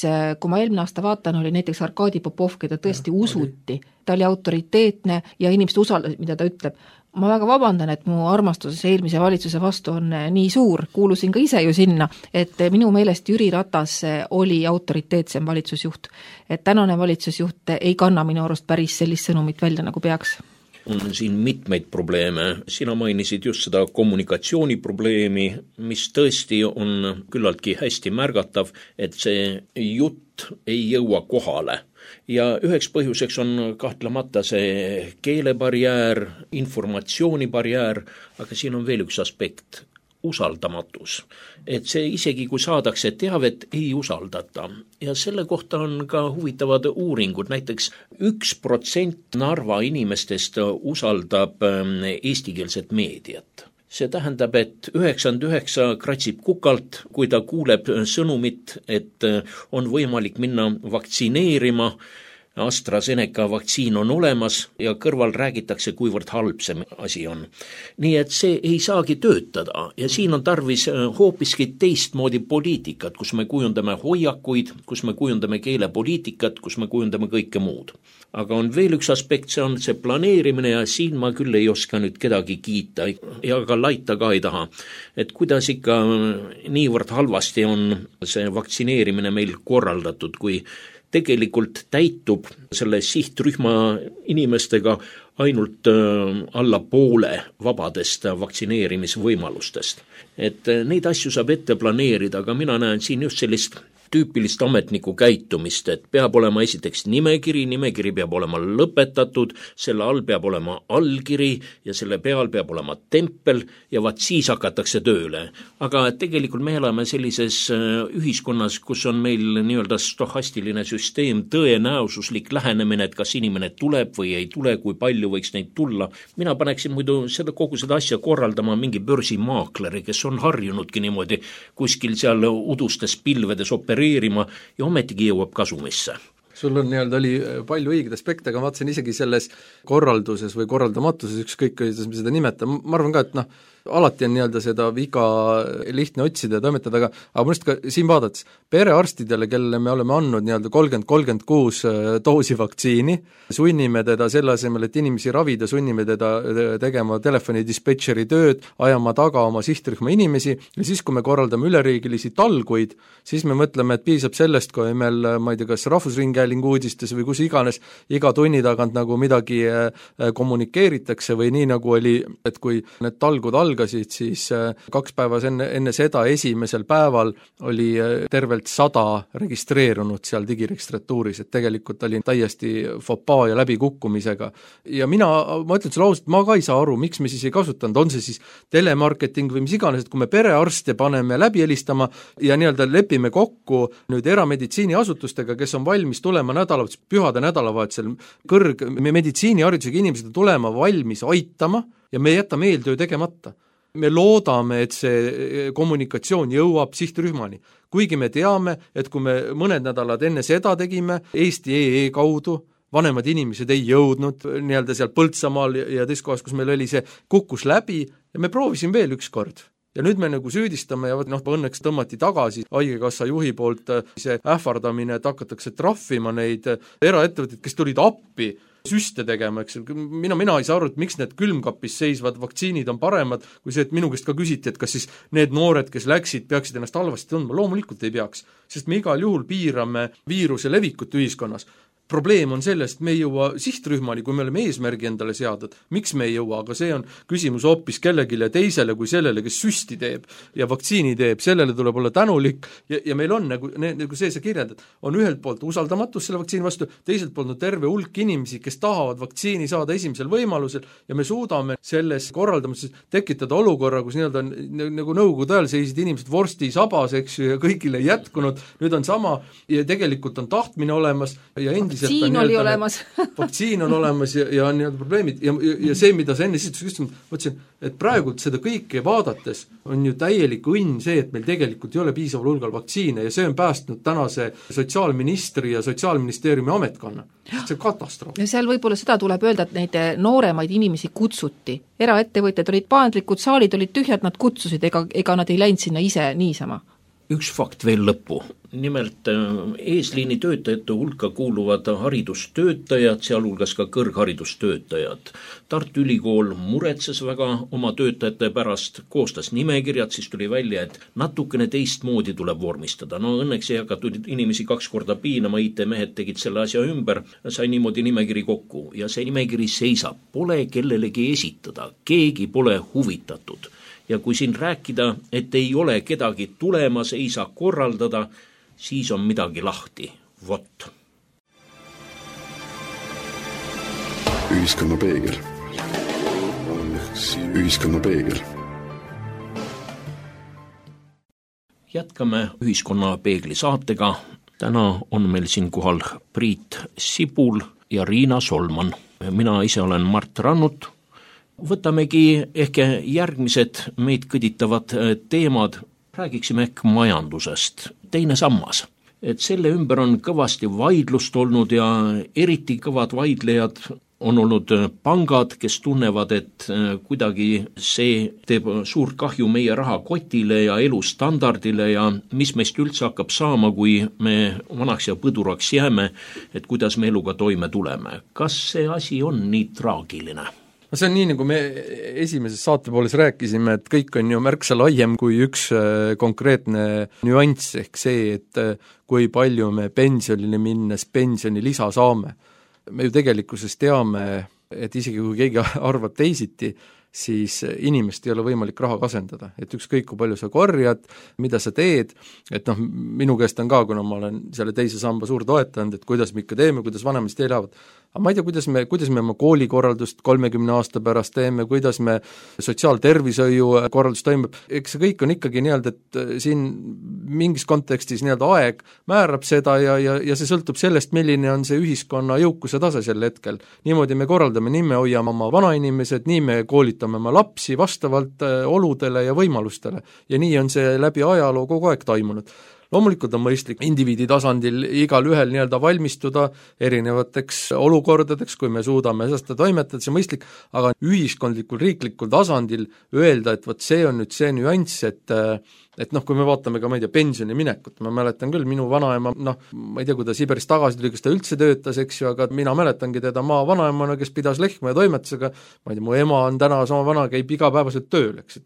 kui ma eelmine aasta vaatan, oli näiteks Arkadi Popov, keda tõesti usuti. Ta oli autoriteetne ja inimesed usaldasid, mida ta ütleb. Ma väga vabandan, et mu armastus eelmise valitsuse vastu on nii suur, kuulusin ka ise ju sinna, et minu meelest Jüri Ratas oli autoriteetsem valitsusjuht. Et tänane valitsusjuht ei kanna minu arust päris sellist sõnumit välja, nagu peaks. On siin mitmeid probleeme. Sina mainisid just seda kommunikatsiooniprobleemi, mis tõesti on küllaltki hästi märgatav, et see jutt ei jõua kohale. Ja üheks põhjuseks on kahtlemata see keelebarjäär, informatsioonibarjäär, aga siin on veel üks aspekt, usaldamatus. Et see isegi kui saadakse teavet, ei usaldata. Ja selle kohta on ka huvitavad uuringud, näiteks 1% Narva inimestest usaldab eestikeelset meediat. See tähendab, et 99 kratsib kukalt, kui ta kuuleb sõnumit, et on võimalik minna vaktsineerima, AstraZeneca vaktsiin on olemas ja kõrval räägitakse, kuivõrd halb see asi on. Nii et see ei saagi töötada ja siin on tarvis hoopiski teistmoodi poliitikat, kus me kujundame hoiakuid, kus me kujundame keelepoliitikat, kus me kujundame kõike muud. Aga on veel üks aspekt, see on see planeerimine ja siin ma küll ei oska nüüd kedagi kiita ja ka laita ka ei taha. Et kuidas ikka niivõrd halvasti on see vaktsineerimine meil korraldatud, kui tegelikult täitub selle sihtrühma inimestega ainult alla poole vabadest vaktsineerimisvõimalustest. Et neid asju saab ette planeerida, aga mina näen siin just sellist tüüpilist ametniku käitumist, et peab olema esiteks nimekiri peab olema lõpetatud, selle all peab olema allkiri ja selle peal peab olema tempel ja vaat siis hakatakse tööle. Aga tegelikult me elame sellises ühiskonnas, kus on meil nii-öelda stohastiline süsteem, tõenäosuslik lähenemine, et kas inimene tuleb või ei tule, kui palju võiks neid tulla. Mina paneksin muidu kogu seda asja korraldama mingi börsimaakleri, kes on harjunudki niimoodi kuskil seal udustes pilvedes opereerima ja ometigi jõuab kasumisse. Sul on oli palju õigeid aspekte, aga ma vaatasin isegi selles korralduses või korraldamatuses, ükskõik kuidas me seda nimetame, ma arvan ka, et alati on seda viga lihtne otsida ja toimetada, aga mõnest ka siin vaadates, perearstidele, kelle me oleme andnud 30-36 doosi vaktsiini, sunnime teda selle asemel, et inimesi ravida, sunnime teda tegema telefonidispetšeri tööd, ajama taga oma sihtrühma inimesi ja siis, kui me korraldame üleriigilisi talguid, siis me mõtleme, et piisab sellest, kui meil, ma ei tea, kas Rahvusringhäälingu uudistes või kus iganes, iga tunni tagant nagu midagi kommunikeeritakse või nii nagu oli, et kui need talgud algasid, siis 2 päeva enne seda esimesel päeval oli tervelt 100 registreerunud seal digiregistratuuris, et tegelikult oli täiesti fopaa ja läbikukkumisega. Ja ma ütlen sulle ausalt, ma ka ei saa aru, miks me siis ei kasutanud, on see siis telemarketing või mis iganes, et kui me perearste paneme läbi helistama ja lepime kokku nüüd erameditsiiniasutustega, kes on valmis tulema pühade nädalavahetusel meditsiiniharidusega inimesed tulema valmis aitama ja me jätame eeltöö tegemata. Me loodame, et see kommunikatsioon jõuab sihtrühmani. Kuigi me teame, et kui me mõned nädalad enne seda tegime Eesti.ee kaudu, vanemad inimesed ei jõudnud seal Põltsamaal ja teist kohas, kus meil oli see, kukkus läbi ja me proovisin veel üks kord. Ja nüüd me süüdistame ja õnneks tõmmati tagasi haigekassa juhi poolt see ähvardamine, et hakatakse trahvima neid eraettevõtteid, kes tulid appi süste tegema, eks. Mina ei saa aru, et miks need külmkapis seisvad vaktsiinid on paremad kui see, et minu käest ka küsiti, et kas siis need noored, kes läksid, peaksid ennast halvasti tundma. Loomulikult ei peaks, sest me igal juhul piirame viiruse levikut ühiskonnas. Probleem on sellest, et me ei jõua sihtrühmani, kui me oleme eesmärgi endale seadnud. Miks me ei jõua, aga see on küsimus hoopis kellegile teisele kui sellele, kes süsti teeb ja vaktsiini teeb, sellele tuleb olla tänulik ja meil on nagu see kirjeldad, on ühelt poolt usaldamatus selle vaktsiini vastu, teiselt poolt terve hulk inimesi, kes tahavad vaktsiini saada esimesel võimalusel ja me suudame selles korraldamises tekitada olukorra, kus nagu nõukogude ajal seisid inimesed vorsti sabas, eks ju, ja kõigile ei jätkunud, nüüd on sama ja tegelikult on tahtmine olemas ja vaktsiin oli olemas. Vaktsiin on olemas ja on probleemid ja see, mida sa enne mõtlesin, et praegult seda kõike vaadates on ju täielik õnn see, et meil tegelikult ei ole piisaval hulgal vaktsiine ja see on päästnud tänase sotsiaalministri ja sotsiaalministeeriumi ametkonna. See on katastroof. Ja seal võib-olla seda tuleb öelda, et neid nooremaid inimesi kutsuti. Eraettevõtjad olid paandlikud, saalid olid tühjad, nad kutsusid, ega nad ei läinud sinna ise niisama. üks fakt veel lõppu. Nimelt eesliini töötajate hulka kuuluvad haridustöötajad, sealhulgas ka kõrgharidustöötajad. Tartu Ülikool muretses väga oma töötajate pärast, koostas nimekirjad, siis tuli välja, et natukene teistmoodi tuleb vormistada. No õnneks ei hakatud inimesi 2 korda piinama, IT-mehed tegid selle asja ümber, sai niimoodi nimekiri kokku ja see nimekiri seisab, pole kellelegi esitada, keegi pole huvitatud. Ja kui siin rääkida, et ei ole kedagi tulemas, ei saa korraldada, siis on midagi lahti. Vot. Ühiskonna peegel. Ühiskonna peegel. Jätkame Ühiskonna peegli saatega. Täna on meil siin kohal Priit Sibul ja Riina Solman. Mina ise olen Mart Rannut. Võtamegi ehk järgmised meid kõditavad teemad. Räägiksime ehk majandusest. Teine sammas. Et selle ümber on kõvasti vaidlust olnud ja eriti kõvad vaidlejad on olnud pangad, kes tunnevad, et kuidagi see teeb suurt kahju meie rahakotile ja elustandardile ja mis meist üldse hakkab saama, kui me vanaks ja põduraks jääme, et kuidas me eluga toime tuleme. Kas see asi on nii traagiline? No see on nii, nagu me esimeses saatepooles rääkisime, et kõik on ju märksa laiem kui üks konkreetne nüanss, ehk see, et kui palju me pensionile minnes pensionilisa saame. Me ju tegelikkuses teame, et isegi kui keegi arvab teisiti, siis inimest ei ole võimalik raha kasendada, et ükskõik kui palju sa korjad, mida sa teed, et minu käest on ka, kuna ma olen selle teise samba suur toetanud, et kuidas me ikka teeme, kuidas vanemad elavad, aga ma ei tea, kuidas me oma koolikorraldust 30 aasta pärast teeme, kuidas me sotsiaaltervishoiu korraldus toimub, eks see kõik on ikkagi nii-öelda, et siin mingis kontekstis nii-öelda aeg määrab seda ja see sõltub sellest, milline on see ühiskonna jõukuse tase sel hetkel. Niimoodi me korraldame, nii me hoiame oma vanainimesed, nii me koolitame oma lapsi vastavalt oludele ja võimalustele ja nii on see läbi ajaloo kogu aeg toimunud. Loomulikult on mõistlik indiviidi tasandil igal ühel nii-öelda valmistuda erinevateks olukordadeks, kui me suudame seda toimetada, see mõistlik, aga ühiskondlikul, riiklikul tasandil öelda, et vot see on nüüd see nüanss, et kui me vaatame ka, ma ei tea, pensioni minekut, ma mäletan küll, minu vanaema, ma ei tea, kui ta Siberist tagasi tuli, kas ta üldse töötas, eks ju, aga mina mäletangi teda maa vanaemana, kes pidas lehma ja toimetusega, ma ei tea, mu ema on täna sama vana, käib igapäevaselt tööl, eks,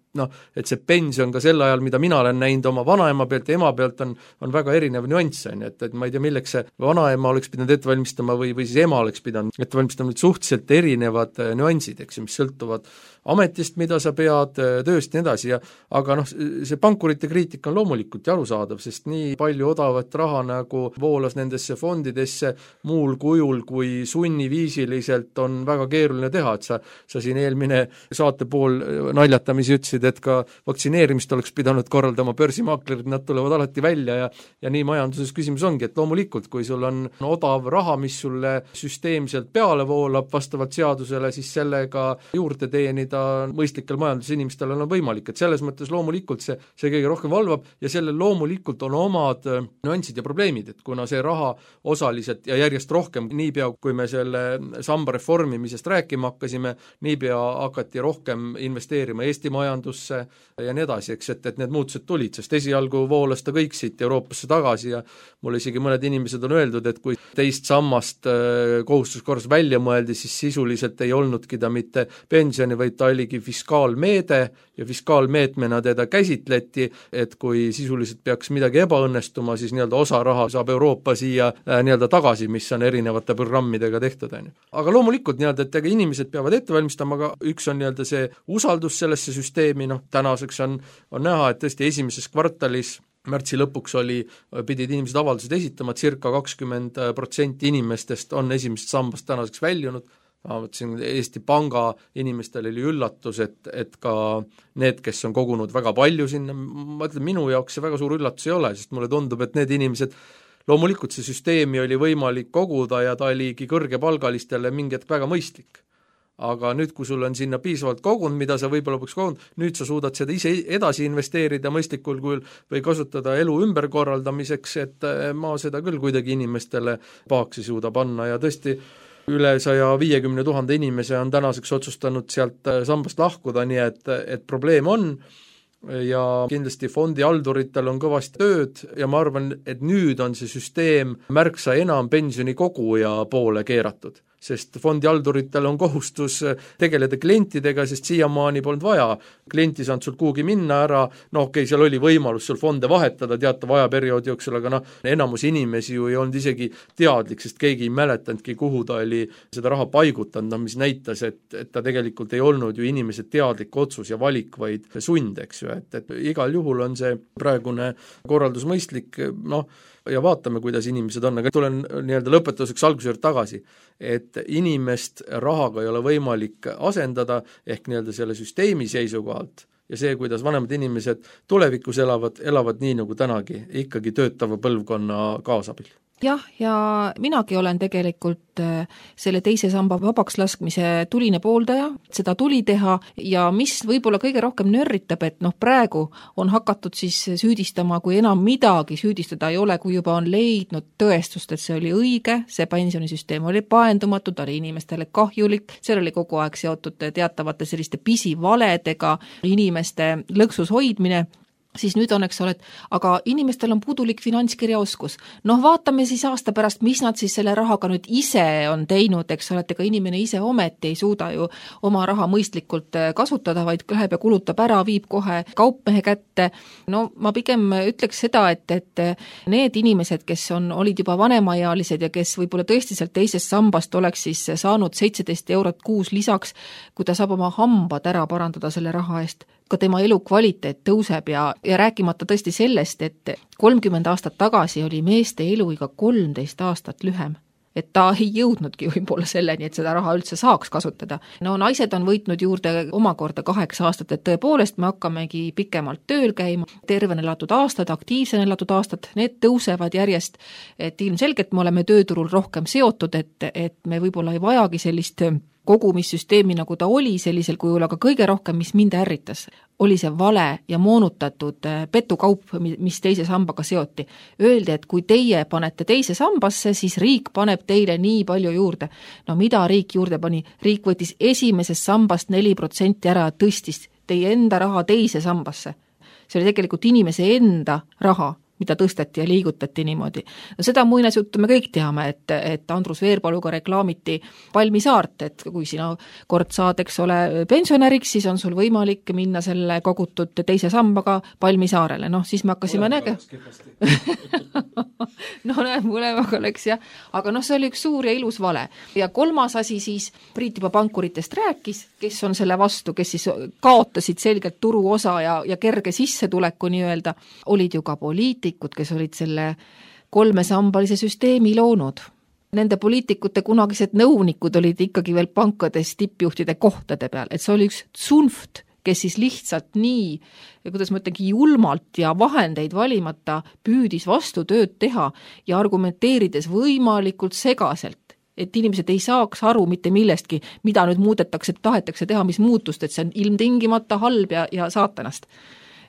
et see pension ka sel ajal, mida mina olen näinud oma vanaema pealt ja ema pealt, on väga erinev nüanss, et ma ei tea, milleks see vanaema oleks pidanud ette valmistama või siis ema oleks pidanud ette valmistama, suhteliselt erinevad nüansid, eks ju, mis sõltuvad ametist, mida sa pead, tööst ja nii edasi, aga see pankurite kriitika on loomulikult ja arusaadav, sest nii palju odavat raha nagu voolas nendesse fondidesse muul kujul kui sunniviisiliselt on väga keeruline teha, et sa siin eelmine saate pool naljatamisi ütlesid, et ka vaktsineerimist oleks pidanud korraldama börsimaaklerid, nad tulevad alati välja ja nii majanduses küsimus ongi, et loomulikult, kui sul on odav raha, mis sulle süsteemselt peale voolab vastavalt seadusele, siis sellega juurde teenida mõistlikel majandusinimestel on võimalik, et selles mõttes loomulikult see kõige rohkem valvab ja sellel loomulikult on omad nüansid ja probleemid, et kuna see raha osaliselt ja järjest rohkem, niipea kui me selle samba reformimisest rääkima hakkasime, niipea hakati rohkem investeerima Eesti majandusse ja nii edasi, eks, et need muutused tulid, sest esialgu voolas ta kõik siit Euroopasse tagasi ja mul isegi mõned inimesed on öeldud, et kui teist sammast kohustuskorras välja mõeldi, siis sisuliselt ei olnudki ta mitte pensioni, vaid ta oligi fiskaalmeede ja fiskaalmeetmena teda käsitleti, et kui sisuliselt peaks midagi ebaõnnestuma, siis nii-öelda osa raha saab Euroopa siia nii-öelda tagasi, mis on erinevate programmidega tehtud. Aga loomulikult nii-öelda, et inimesed peavad ette valmistama, aga üks on nii-öelda see usaldus sellesse süsteemi, tänaseks on näha, et tõesti esimeses kvartalis märtsi lõpuks pidid inimesed avaldused esitama, circa 20% inimestest on esimesest sambast tänaseks väljunud. Ma mõtlesin, Eesti Panga inimestel oli üllatus, et ka need, kes on kogunud väga palju sinna, ma ütlen, minu jaoks see väga suur üllatus ei ole, sest mulle tundub, et need inimesed, loomulikult see süsteemi oli võimalik koguda ja ta oligi kõrgepalgalistele mingi hetk väga mõistlik. Aga nüüd, kui sul on sinna piisavalt kogunud, mida sa võib-olla peaks kogunud, nüüd sa suudad seda ise edasi investeerida mõistlikul kujul või kasutada elu ümberkorraldamiseks, et ma seda küll kuidagi inimestele pahaks ei suuda panna ja tõesti üle 150 000 inimese on tänaseks otsustanud sealt sambast lahkuda, nii et probleem on, ja kindlasti fondihalduritel on kõvasti tööd ja ma arvan, et nüüd on see süsteem märksa enam pensionikoguja poole keeratud, sest fondihalduritel on kohustus tegeleda klientidega, sest siiamaani polnud vaja. Klienti saanud sul kuhugi minna ära, seal oli võimalus sul fonde vahetada teatava ajaperioodi jooksul, aga enamus inimesi ju ei olnud isegi teadlik, sest keegi ei mäletanudki, kuhu ta oli seda raha paigutanud, mis näitas, et ta tegelikult ei olnud ju inimese teadlik otsus ja valik, vaid sund, eks ju, et igal juhul on see praegune korraldus mõistlik, ja vaatame, kuidas inimesed on, aga tulen nii-öelda lõpetuseks alguse juurde tagasi, et inimest rahaga ei ole võimalik asendada ehk nii-öelda selle süsteemi seisukohalt ja see, kuidas vanemad inimesed tulevikus elavad nii nagu tänagi, ikkagi töötava põlvkonna kaasabil. Jah, ja minagi olen tegelikult selle teise samba vabaks laskmise tuline pooldaja, seda tuli teha ja mis võib-olla kõige rohkem nörritab, et praegu on hakatud siis süüdistama, kui enam midagi süüdistada ei ole, kui juba on leidnud tõestust, et see oli õige, see pensionisüsteem oli paendumatu, ta oli inimestele kahjulik, seal oli kogu aeg seotud teatavate selliste pisivaledega inimeste lõksus hoidmine, siis nüüd on, eks ole, aga inimestel on puudulik finantskirjaoskus. Vaatame siis aasta pärast, mis nad siis selle rahaga nüüd ise on teinud, eks ole, et ega inimene ise ometi ei suuda ju oma raha mõistlikult kasutada, vaid läheb ja kulutab ära, viib kohe kaupmehe kätte. Ma pigem ütleks seda, et need inimesed, kes olid juba vanemaealised ja kes võib-olla tõesti sealt teisest sambast oleks siis saanud 17 eurot kuus lisaks, kui ta saab oma hambad ära parandada selle raha eest, ka tema elukvaliteet tõuseb ja rääkimata tõesti sellest, et 30 aastat tagasi oli meeste eluiga 13 aastat lühem. Et ta ei jõudnudki võib-olla selleni, et seda raha üldse saaks kasutada. Naised on võitnud juurde omakorda 8 aastat, et tõepoolest me hakkamegi pikemalt tööl käima, tervena elatud aastad, aktiivsena elatud aastad, need tõusevad järjest, et ilmselgelt me oleme tööturul rohkem seotud, et me võib-olla ei vajagi sellist kogumissüsteemi, nagu ta oli sellisel kujul, aga kõige rohkem, mis mind ärritas, oli see vale ja moonutatud petukaup, mis teise sambaga seoti. Öeldi, et kui teie panete teise sambasse, siis riik paneb teile nii palju juurde. Mida riik juurde pani? Riik võttis esimesest sambast 4% ära ja tõstis teie enda raha teise sambasse. See oli tegelikult inimese enda raha, mida tõsteti ja liigutati niimoodi. Seda muinasjuttu me kõik teame, et Andrus Veerpaluga reklaamiti Palmisaart, et kui sina kord saad, eks ole, pensionäriks, siis on sul võimalik minna selle kogutud teise sambaga Palmisaarele. Siis me hakkasime mõlemaga oleks jah, aga see oli üks suur ja ilus vale. Ja kolmas asi siis, Priit juba pankuritest rääkis, kes on selle vastu, kes siis kaotasid selgelt turuosa ja kerge sissetuleku nii-öelda, olid ju ka poliitikud, kes olid selle 3-sambalise süsteemi loonud. Nende poliitikute kunagised nõunikud olid ikkagi veel pankades tippjuhtide kohtade peal, et see oli üks tsunft, kes siis lihtsalt nii, kuidas ma ütlengi, julmalt ja vahendeid valimata püüdis vastu tööd teha ja argumenteerides võimalikult segaselt, et inimesed ei saaks aru mitte millestki, mida nüüd muudetakse, tahetakse teha, mis muutust, et see on ilmtingimata halb ja saatanast.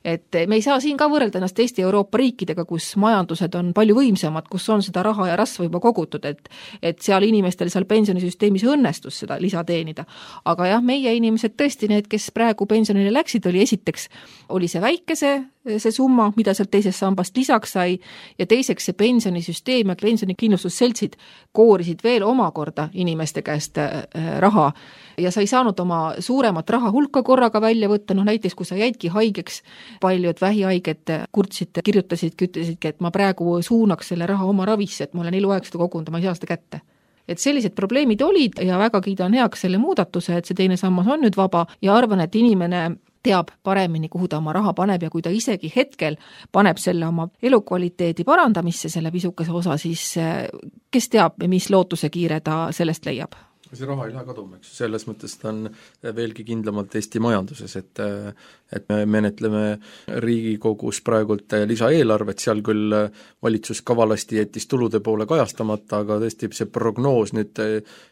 Et me ei saa siin ka võrrelda ennast Eesti Euroopa riikidega, kus majandused on palju võimsamad, kus on seda raha ja rasva juba kogutud, et seal inimestel seal pensionisüsteemis õnnestus seda lisa teenida. Aga jah, meie inimesed tõesti, need, kes praegu pensionile läksid, oli see väike see summa, mida sealt teisest sambast lisaks sai ja teiseks see pensionisüsteem ja pensionikindlustusseltsid koorisid veel omakorda inimeste käest raha ja sa ei saanud oma suuremat raha hulka korraga välja võtta, näiteks kui sa jäidki haigeks, paljud vähihaiged kurtsid, kirjutasidki, ütlesidki, et ma praegu suunaks selle raha oma ravisse, et ma olen eluaeg seda kogunud, ma ei saa seda kätte. Et sellised probleemid olid ja väga kiidan heaks selle muudatuse, et see teine sammas on nüüd vaba ja arvan, et inimene teab paremini, kuhu ta oma raha paneb ja kui ta isegi hetkel paneb selle oma elukvaliteedi parandamisse, selle pisukese osa, siis kes teab, mis lootuse kiire ta sellest leiab? See raha ei lähe kaduma, eks. Selles mõttes ta on veelgi kindlamalt Eesti majanduses, et me menetleme Riigikogus praegult lisaeelarvet, seal küll valitsus kavalasti jättis tulude poole kajastamata, aga tõesti see prognoos nüüd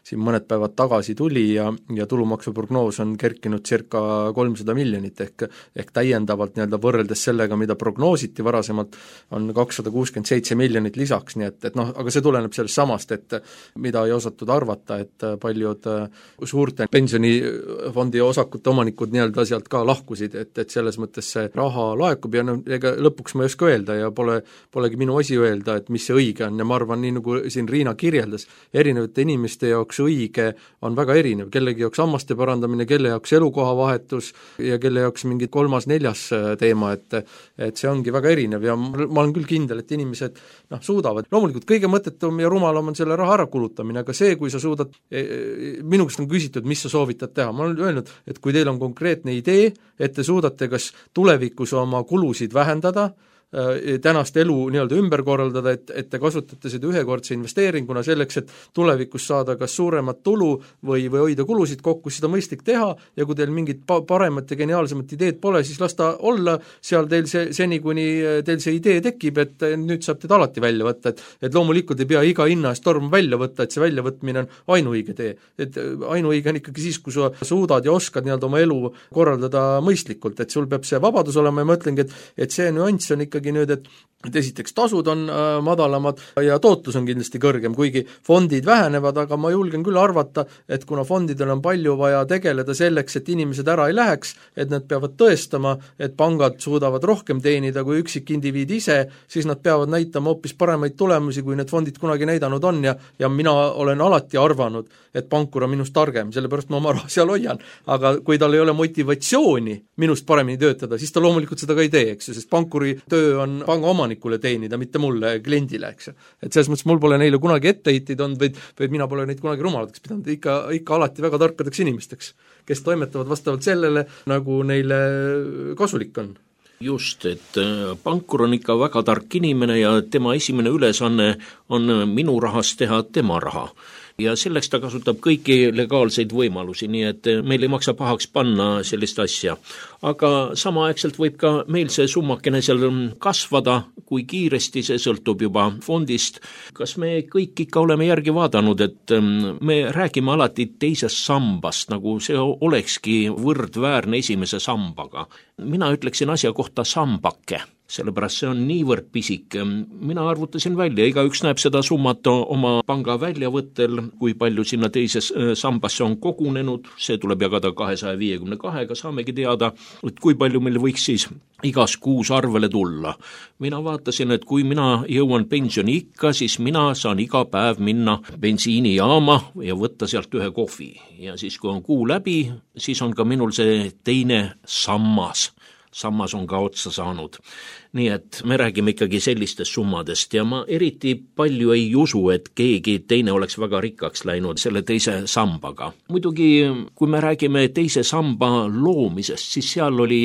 siin mõned päevad tagasi tuli ja tulumaksu prognoos on kerkinud circa 300 miljonit ehk täiendavalt nii-öelda võrreldes sellega, mida prognoositi varasemalt, on 267 miljonit lisaks, nii et aga see tuleneb sellest samast, et mida ei osatud arvata, et palju paljud suurte pensionifondi osakute omanikud nii-öelda sealt ka lahkusid, et selles mõttes see raha laekub ja ega lõpuks ma ei oska öelda ja polegi minu asi öelda, et mis see õige on ja ma arvan, nii nagu siin Riina kirjeldas, erinevate inimeste jaoks õige on väga erinev, kellegi jaoks hammaste parandamine, kelle jaoks elukohavahetus ja kelle jaoks mingi 3.-4. teema, et see ongi väga erinev ja ma olen küll kindel, et inimesed suudavad. Loomulikult kõige mõttetum ja rumalam on selle raha ära kulutamine, aga see, kui sa suudad, minu käest on küsitud, mis sa soovitad teha, ma olen öelnud, et kui teil on konkreetne idee, et te suudate kas tulevikus oma kulusid vähendada, tänast elu nii-öelda ümber korraldada, et te kasutate seda ühekordse investeeringuna selleks, et tulevikus saada kas suuremat tulu või hoida kulusid kokku, seda mõistlik teha ja kui teil mingit paremat ja geniaalsemat ideed pole, siis las ta olla seal teil seni, kuni teil see idee tekib, et nüüd saab teid alati välja võtta, et loomulikult ei pea iga hinna eest torm välja võtta, et see väljavõtmine on ainuõige tee. Et ainuõige on ikkagi siis, kui sa suudad ja oskad nii-öelda oma elu korraldada mõistlikult, et sul peab see vabadus olema ja ma ütlengi, et see nüanss on ikkagi nüüd, et esiteks tasud on madalamad ja tootlus on kindlasti kõrgem, kuigi fondid vähenevad, aga ma julgen küll arvata, et kuna fondidel on palju vaja tegeleda selleks, et inimesed ära ei läheks, et nad peavad tõestama, et pangad suudavad rohkem teenida kui üksik indiviid ise, siis nad peavad näitama hoopis paremaid tulemusi, kui need fondid kunagi näidanud on ja mina olen alati arvanud, et pankur on minust targem, sellepärast ma oma raha seal hoian, aga kui tal ei ole motivatsiooni minust paremini töötada, siis ta loomulikult seda ka ei tee, eks ju, sest pankuri töö on panga omanikule teenida, mitte mulle, kliendile, eks ju. Et selles mõttes mul pole neile kunagi etteheiteid olnud, vaid mina pole neid kunagi rumalateks pidanud, ikka alati väga tarkadeks inimesteks, kes toimetavad vastavalt sellele, nagu neile kasulik on. Just, et pankur on ikka väga tark inimene ja tema esimene ülesanne on minu rahast teha tema raha. Ja selleks ta kasutab kõiki legaalseid võimalusi, nii et meil ei maksa pahaks panna sellist asja. Aga samaaegselt võib ka meil see summakene seal kasvada, kui kiiresti see sõltub juba fondist. Kas me kõik ikka oleme järgi vaadanud, et me räägime alati teisest sambast, nagu see olekski võrdväärne esimese sambaga. Mina ütleksin asja kohta sambake. Sellepärast see on niivõrd pisik. Mina arvutasin välja, igaüks näeb seda summat oma panga väljavõttel, kui palju sinna teises sambasse on kogunenud, see tuleb jagada 252, saamegi teada, et kui palju meil võiks siis igas kuus arvele tulla. Mina vaatasin, et kui mina jõuan pensioni ikka, siis mina saan iga päev minna bensiinijaama ja võtta sealt ühe kohvi. Ja siis kui on kuu läbi, siis on ka minul see teine sammas on ka otsa saanud. Nii et me räägime ikkagi sellistest summadest ja ma eriti palju ei usu, et keegi teine oleks väga rikkaks läinud selle teise sambaga. Muidugi, kui me räägime teise samba loomisest, siis seal oli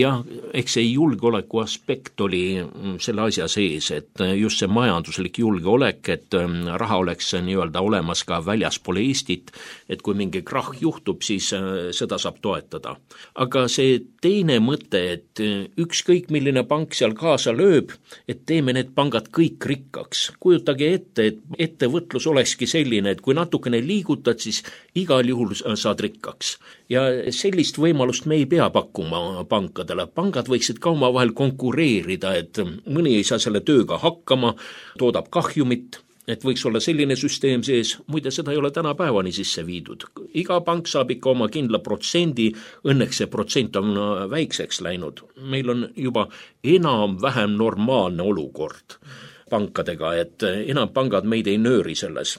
eks see julgeoleku aspekt oli selle asja sees, et just see majanduslik julgeolek, et raha oleks nii-öelda olemas ka väljaspool Eestit, et kui mingi krahh juhtub, siis seda saab toetada. Aga see teine mõte, et ükskõik milline pank seal kaasa lööb, et teeme need pangad kõik rikkaks. Kujutage ette, et ettevõtlus olekski selline, et kui natukene liigutad, siis igal juhul saad rikkaks. Ja sellist võimalust me ei pea pakkuma pankadele. Pangad võiksid ka omavahel konkureerida, et mõni ei saa selle tööga hakkama, toodab kahjumit, et võiks olla selline süsteem sees, muide seda ei ole tänapäevani sisse viidud. Iga pank saab ikka oma kindla protsendi, õnneks see protsent on väikseks läinud. Meil on juba enam-vähem normaalne olukord pankadega, et enam pangad meid ei nööri selles.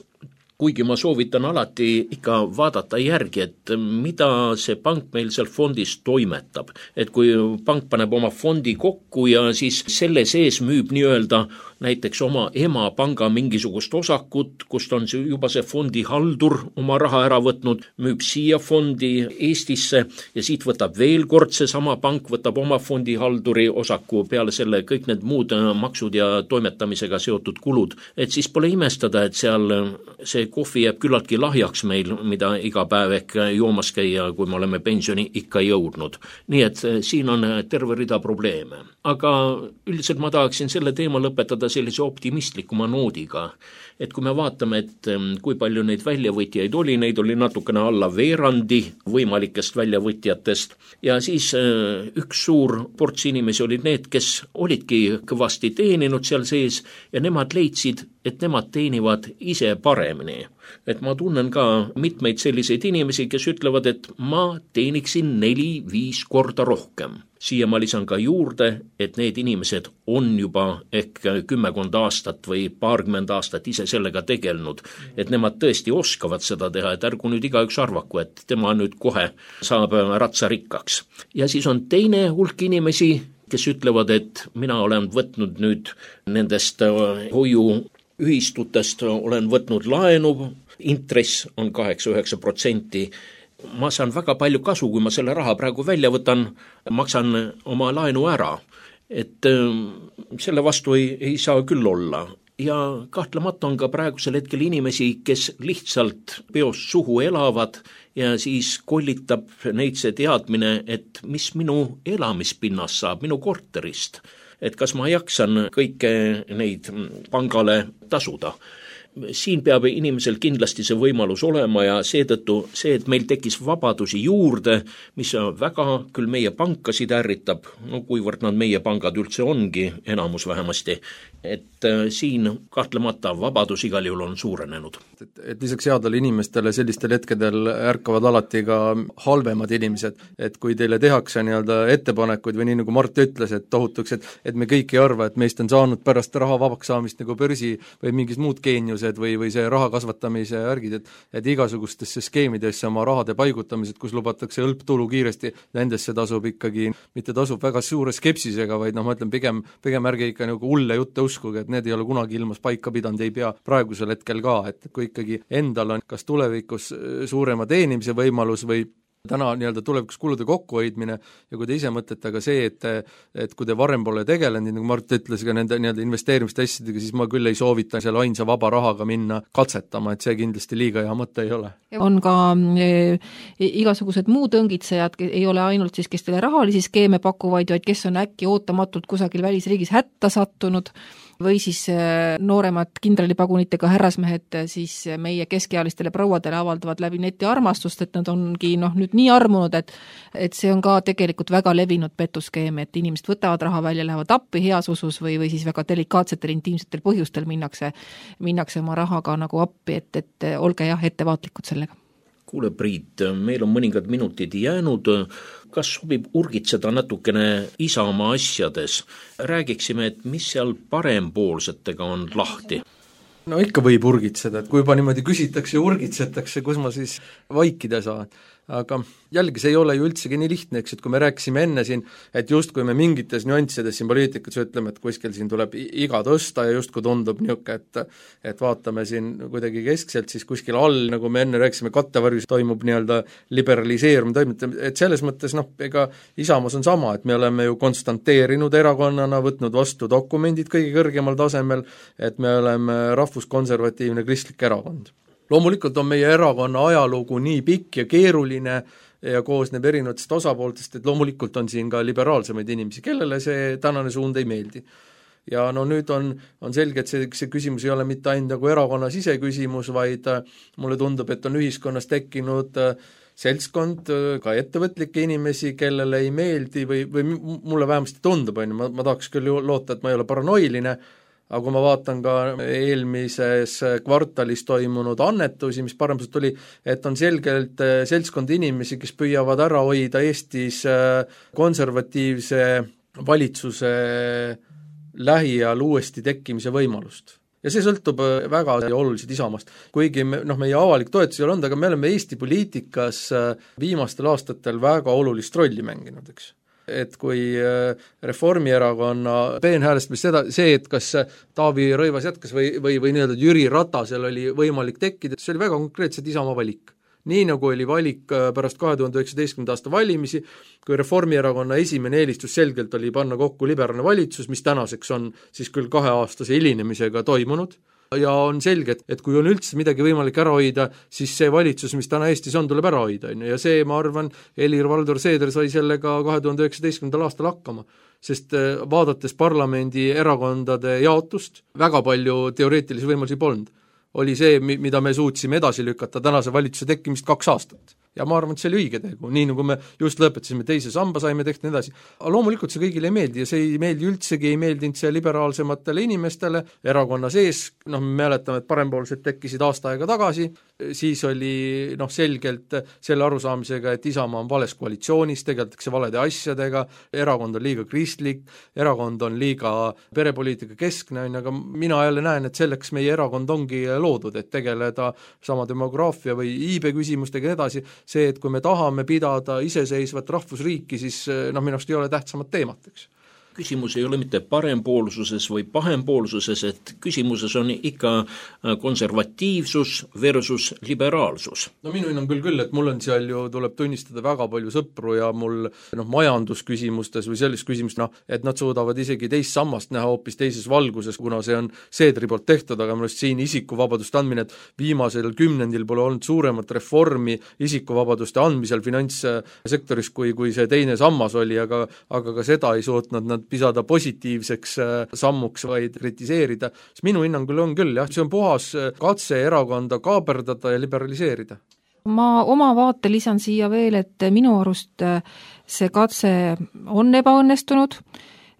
Kuigi ma soovitan alati ikka vaadata järgi, et mida see pank meil seal fondis toimetab. Et kui pank paneb oma fondi kokku ja siis selle sees müüb nii-öelda näiteks oma emapanga mingisugust osakut, kust on juba see fondi haldur oma raha ära võtnud, müüb siia fondi Eestisse ja siit võtab veel kord see sama pank, võtab oma fondi halduri osaku peale selle kõik need muud maksud ja toimetamisega seotud kulud. Et siis pole imestada, et seal see kohvi jääb küllaltki lahjaks meil, mida iga päev ehk joomas käia, kui me oleme pensioni ikka jõudnud. Nii et siin on terve rida probleeme. Aga üldiselt ma tahaksin selle teema lõpetada sellise optimistlikuma noodiga, et kui me vaatame, et kui palju neid väljavõtjaid oli, neid oli natukene alla veerandi võimalikest väljavõtjatest ja siis üks suur ports inimesi olid need, kes olidki kõvasti teeninud seal sees ja nemad leidsid, et nemad teenivad ise paremini. et ma tunnen ka mitmeid selliseid inimesi, kes ütlevad, et ma teeniksin 4-5 korda rohkem. Siia ma lisan ka juurde, et need inimesed on juba ehk 10 aastat või paarkümmend aastat ise sellega tegelenud, et nemad tõesti oskavad seda teha, et ärgu nüüd igaüks arvaku, et tema nüüd kohe saab ratsarikkaks. Ja siis on teine hulk inimesi, kes ütlevad, et mina olen võtnud nüüd nendest hoiuühistutest, olen võtnud laenu, intress on 8-9%, ma saan väga palju kasu, kui ma selle raha praegu välja võtan, maksan oma laenu ära, et selle vastu ei saa küll olla. Ja kahtlemata on ka praegusel hetkel inimesi, kes lihtsalt peost suhu elavad ja siis kollitab neid see teadmine, et mis minu elamispinnast saab, minu korterist, et kas ma jaksan kõike neid pangale tasuda. Siin peab inimesel kindlasti see võimalus olema ja seetõttu see, et meil tekkis vabadusi juurde, mis väga küll meie pankasid ärritab, no kuivõrd nad meie pangad üldse ongi, enamus vähemasti, et siin kahtlemata vabadus igal juhul on suurenenud. Et lisaks headele inimestele sellistel hetkedel ärkavad alati ka halvemad inimesed, et kui teile tehakse nii-öelda ettepanekuid või nii nagu Mart ütles, et tohutuks, et me kõik ei arva, et meist on saanud pärast raha vabaks saamist nagu börsi või mingid muud geeniused või see raha kasvatamise ärgid, et igasugustesse skeemidesse oma rahade paigutamised, kus lubatakse hõlptulu kiiresti, nendesse tasub ikkagi, mitte tasub väga suure skepsisega, vaid ma ütlen pigem ärge ikka nagu hulle jutte uskuge, et need ei ole kunagi ilmas paika pidanud, ei pea praegusel hetkel ka, et kui ikkagi endal on kas tulevikus suurema teenimise võimalus või täna nii-öelda tulevikus kulude kokkuhoidmine ja kui te ise mõtlete ka see, et kui te varem pole tegelenud, nagu Mart ütles ka nende nii-öelda investeerimiste asjadega, siis ma küll ei soovita selle ainsa vaba rahaga minna katsetama, et see kindlasti liiga hea mõte ei ole. On ka igasugused muud õngitsejad, ei ole ainult siis, kes teile rahalisi skeeme pakuvad, vaid kes on äkki ootamatult kusagil välisriigis hätta sattunud või siis nooremad kindralipagunitega härrasmehed siis meie keskealistele prouadele avaldavad läbi neti armastust, et nad ongi nüüd nii armunud, et see on ka tegelikult väga levinud petuskeem, et inimesed võtavad raha välja, lähevad appi heas usus või siis väga delikaatsetel intiimsetel põhjustel minnakse oma rahaga nagu appi, et olge jah ettevaatlikud sellega. Kuule Priit, meil on mõningad minutid jäänud, kas sobib urgitseda natukene Isamaa asjades? Räägiksime, et mis seal parempoolsetega on lahti? No ikka võib urgitseda, et kui juba niimoodi küsitakse ja urgitsetakse, kus ma siis vaikida saan. Aga jällegi see ei ole ju üldsegi nii lihtne, eks, et kui me rääkisime enne siin, et justkui me mingites nüanssides siin poliitikas ütleme, et kuskil siin tuleb iga tõsta ja justkui tundub niisugune, et vaatame siin kuidagi keskselt, siis kuskil all, nagu me enne rääkisime, kattevarjus toimub nii-öelda liberaliseerumine, et selles mõttes ega Isamaas on sama, et me oleme ju konstanteerinud erakonnana, võtnud vastu dokumendid kõige kõrgemal tasemel, et me oleme rahvuskonservatiivne kristlik erakond. Loomulikult on meie erakonna ajalugu nii pikk ja keeruline ja koosneb erinevatest osapooltest, et loomulikult on siin ka liberaalsemaid inimesi, kellele see tänane suund ei meeldi. Ja nüüd on selge, et see küsimus ei ole mitte ainult nagu erakonna siseküsimus, vaid mulle tundub, et on ühiskonnas tekkinud seltskond, ka ettevõtlikke inimesi, kellele ei meeldi või mulle vähemasti tundub, ma tahaks küll loota, et ma ei ole paranoiline, aga kui ma vaatan ka eelmises kvartalis toimunud annetusi, mis parempoolselt tuli, et on selgelt seltskond inimesi, kes püüavad ära hoida Eestis konservatiivse valitsuse lähiajal uuesti tekkimise võimalust. Ja see sõltub väga oluliselt Isamaast. Kuigi meie avalik toetus ei ole olnud, aga me oleme Eesti poliitikas viimastel aastatel väga olulist rolli mänginud, eks. Et kui Reformierakonna peenhäälestamist see, et kas Taavi Rõivas jätkas või nii-öelda Jüri Ratasel oli võimalik tekkida, see oli väga konkreetselt Isamaa valik. Nii nagu oli valik pärast 2019. aasta valimisi, kui Reformierakonna esimene eelistus selgelt oli panna kokku liberaalne valitsus, mis tänaseks on siis küll 2-aastase hilinemisega toimunud, ja on selge, et kui on üldse midagi võimalik ära hoida, siis see valitsus, mis täna Eestis on, tuleb ära hoida, ja see, ma arvan, Helir-Valdor Seeder sai sellega 2019. aastal hakkama, sest vaadates parlamendi erakondade jaotust, väga palju teoreetilisi võimalusi polnud. Oli see, mida me suutsime edasi lükata tänase valitsuse tekkimist 2 aastat. ja ma arvan, et see oli õige tegu, nii nagu me just lõpetasime, teise samba saime tehtud ja nii edasi. Aga loomulikult see kõigile ei meeldi ja see ei meeldi üldsegi, ei meeldinud see liberaalsematele inimestele, erakonna sees, me mäletame, et parempoolsed tekkisid aasta aega tagasi, siis oli selgelt selle arusaamisega, et Isamaa on vales koalitsioonis, tegeldakse valede asjadega, erakond on liiga kristlik, erakond on liiga perepoliitika keskne, aga mina jälle näen, et selleks meie erakond ongi loodud, et tegeleda sama demograafia või iibe küsimustega edasi, see, et kui me tahame pidada iseseisvat rahvusriiki, siis minu arust ei ole tähtsamat teemat, eks. Küsimus ei ole mitte parempoolsuses või pahempoolsuses, et küsimuses on ikka konservatiivsus versus liberaalsus. Minu hinnangul küll, et mul on seal ju, tuleb tunnistada väga palju sõpru ja mul majandusküsimustes või selles küsimustes, et nad suudavad isegi teist sammast näha hoopis teises valguses, kuna see on Seedri poolt tehtud, aga minu arust siin isikuvabaduste andmine, et viimasel kümnendil pole olnud suuremat reformi isikuvabaduste andmisel finantssektoris, kui see teine sammas oli, aga ka seda ei suutnud nad pisada positiivseks sammuks, vaid kritiseerida, siis minu hinnangul on küll, jah, see on puhas katse erakonda kaaperdada ja liberaliseerida. Ma oma vaate lisan siia veel, et minu arust see katse on ebaõnnestunud,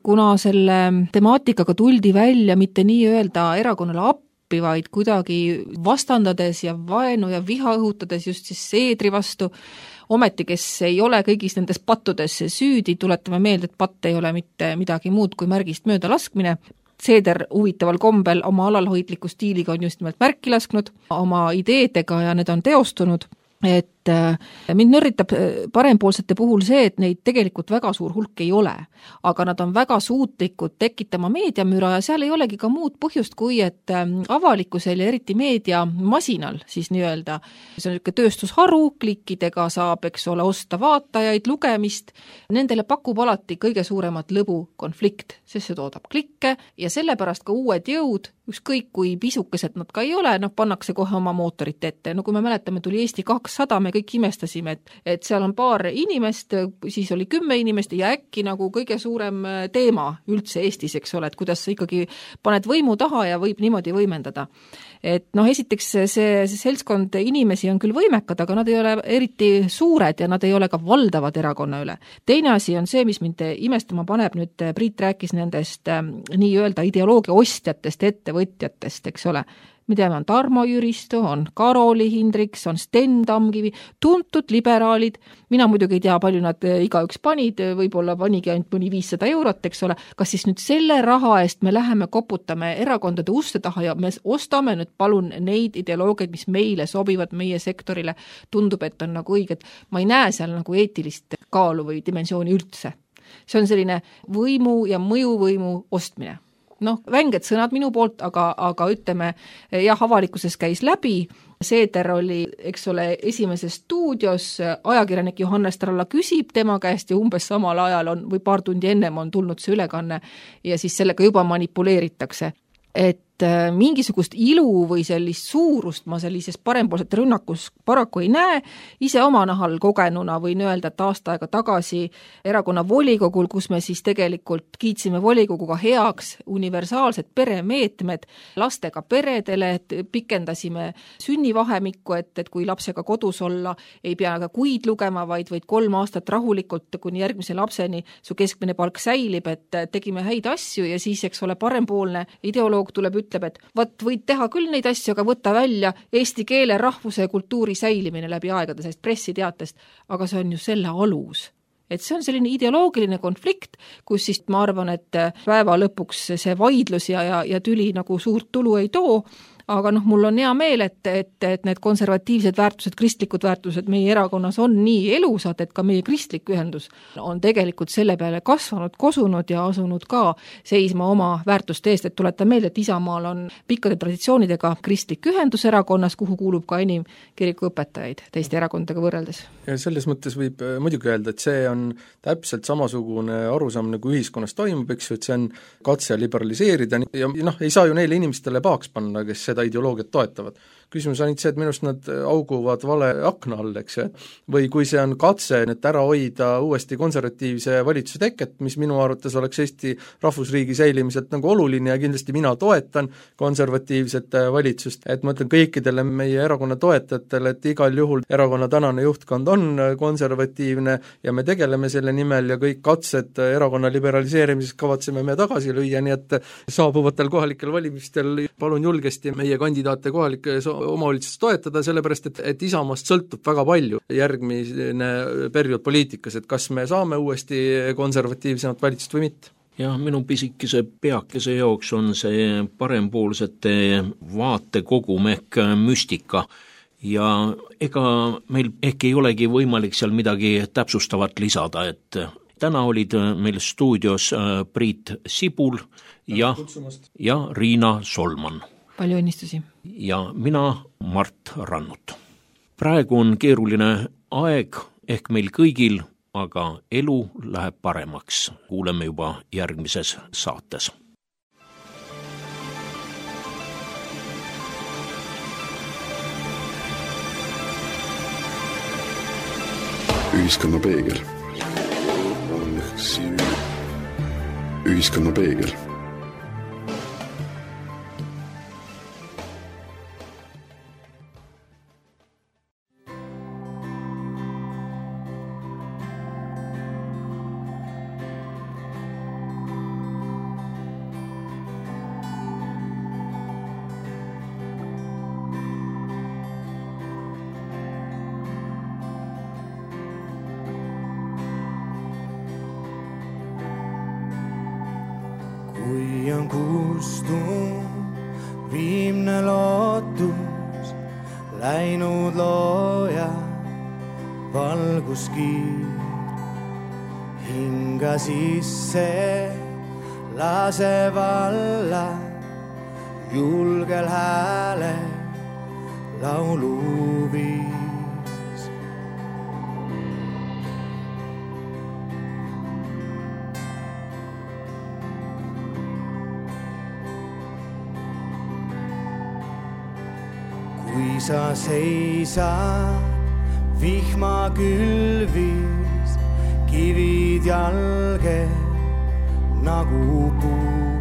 kuna selle temaatikaga tuldi välja mitte nii-öelda erakonnale appi, vaid kuidagi vastandades ja vaenu ja viha õhutades just siis Seedri vastu, ometi, kes ei ole kõigis nendes pattudes süüdi, tuletame meelde, et patt ei ole mitte midagi muud kui märgist mööda laskmine. Seeder huvitaval kombel oma alalhoidliku stiiliga on just nimelt märki lasknud oma ideedega ja need on teostunud, et mind nörritab parempoolsete puhul see, et neid tegelikult väga suur hulk ei ole, aga nad on väga suutlikud tekitama meediamüra ja seal ei olegi ka muud põhjust, kui et avalikkusel ja eriti meediamasinal siis nii-öelda, see on niisugune tööstusharu, klikkidega saab, eks ole, osta vaatajaid, lugemist, nendele pakub alati kõige suuremat lõbu konflikt, sest see toodab klikke ja sellepärast ka uued jõud, ükskõik kui pisukesed nad ka ei ole, pannakse kohe oma mootorit ette. No kui me mäletame, tuli Eesti 200, me kõik imestasime, et seal on paar inimest, siis oli 10 inimest ja äkki nagu kõige suurem teema üldse Eestis, eks ole, et kuidas sa ikkagi paned võimu taha ja võib niimoodi võimendada. Et esiteks see seltskond inimesi on küll võimekad, aga nad ei ole eriti suured ja nad ei ole ka valdavad erakonna üle. Teine asi on see, mis mind imestama paneb, nüüd Priit rääkis nendest nii-öelda ideoloogia ostjatest, ettevõtjatest, eks ole. Me teame, on Tarmo Jüristo, on Karoli Hindriks, on Sten Tamkivi, tuntud liberaalid, mina muidugi ei tea, palju nad igaüks panid, võib-olla panigi ainult mõni 500 eurot, eks ole, kas siis nüüd selle raha eest me läheme koputame erakondade uste taha ja me ostame nüüd palun neid ideoloogiaid, mis meile sobivad, meie sektorile, tundub, et on nagu õiged, ma ei näe seal nagu eetilist kaalu või dimensiooni üldse. See on selline võimu ja mõjuvõimu ostmine. Vänged sõnad minu poolt, aga ütleme, jah, avalikkuses käis läbi, Seeder oli, eks ole, esimeses stuudios, ajakirjanik Johannes Tralla küsib tema käest ja umbes samal ajal on, või paar tundi ennem on tulnud see ülekanne ja siis sellega juba manipuleeritakse. Et mingisugust ilu või sellist suurust ma sellises parempoolsete rünnakus paraku ei näe. Ise oma nahal kogenuna võin öelda, et aasta aega tagasi erakonna volikogul, kus me siis tegelikult kiitsime volikoguga heaks universaalsed peremeetmed lastega peredele, et pikendasime sünnivahemikku, et kui lapsega kodus olla, ei pea ka kuid lugema, vaid 3 aastat rahulikult kuni järgmise lapseni su keskmine palk säilib, et tegime häid asju ja siis, eks ole, parempoolne ideoloog tuleb ütleb, et võid teha küll neid asju, aga võtta välja eesti keele, rahvuse ja kultuuri säilimine läbi aegade sellest pressiteatest, aga see on ju selle alus. Et see on selline ideoloogiline konflikt, kus siis ma arvan, et päeva lõpuks see vaidlus ja tüli nagu suurt tulu ei too, aga mul on hea meel, et need konservatiivsed väärtused, kristlikud väärtused meie erakonnas on nii elusad, et ka meie kristlik ühendus on tegelikult selle peale kasvanud, kosunud ja asunud ka seisma oma väärtuste eest, et tuleta meelde, et Isamaal on pikkade traditsioonidega kristlik ühendus erakonnas, kuhu kuulub ka enim kirikuõpetajaid teiste erakondadega võrreldes. Selles mõttes võib muidugi öelda, et see on täpselt samasugune arusaam, nagu ühiskonnas toimub, eks ju, et see on katse liberaliseerida ja ei saa ju neile inimestele pahaks panna, kes seda ideoloogiat toetavad. Küsimus on see, et minust nad auguvad vale akna all, eks ju, või kui see on katse nüüd ära hoida uuesti konservatiivse valitsuse teket, mis minu arvates oleks Eesti rahvusriigi säilimiselt nagu oluline ja kindlasti mina toetan konservatiivset valitsust, et ma ütlen kõikidele meie erakonna toetajatele, et igal juhul erakonna tänane juhtkond on konservatiivne ja me tegeleme selle nimel ja kõik katsed erakonna liberaliseerimiseks kavatseme me tagasi lüüa, nii et saabuvatel kohalikel valimistel palun julgesti meie kandidaate kohalikes omavalitsuses toetada, sellepärast et Isamaast sõltub väga palju järgmine periood poliitikas, et kas me saame uuesti konservatiivsemat valitsust või mitte. Ja minu pisikese peakese jaoks on see parempoolsete vaatekogum ehk müstika ja ega meil ehk ei olegi võimalik seal midagi täpsustavat lisada, et täna olid meil stuudios Priit Sibul ja Riina Solman. Palju õnnistusi. Ja mina Mart Rannut. Praegu on keeruline aeg ehk meil kõigil, aga elu läheb paremaks. Kuuleme juba järgmises saates. Ühiskonna peegel. Ühiskonna peegel. Kui on kustunud viimne lootus, läinud looja valguskiir, hinga sisse lase valla, julgel hääle lauluviis. Kui sa seisad vihma külvis, kivid jalge nagu puu,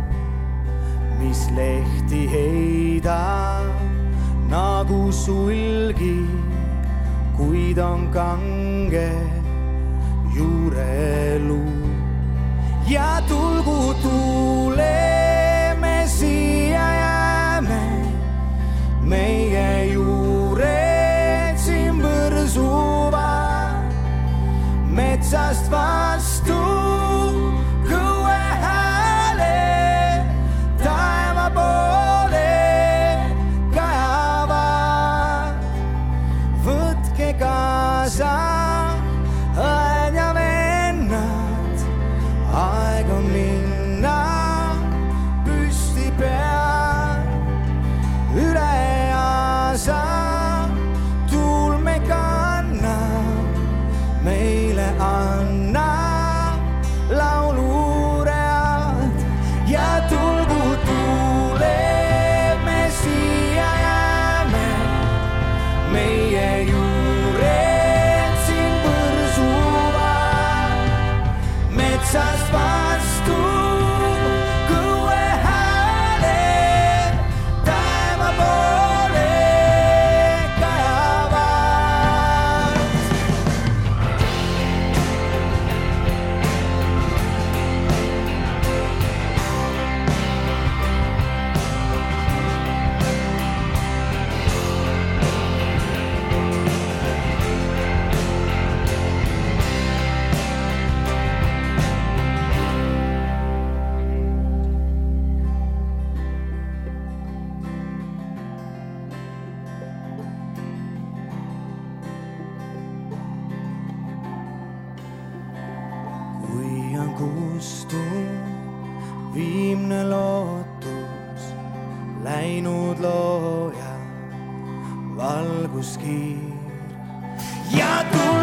mis lehti heidab nagu sulgi, kuid on kange juureluu. Ja tulgu tuule me siia jääme, meie juured siin põrsuvad, metsast vastu kõue hääle, taeva poole kajavad. Võtke kaasa õed ja vennad, aeg on minna püsti peal üle. Tuul me kannab, meile annab lauluread ja tulgu tuule me siia jääme, meie juured siin põrsuvad, metsast vastu kõue hääle, taeva poole viimne lootus, läinud looja valguskiir ja tuul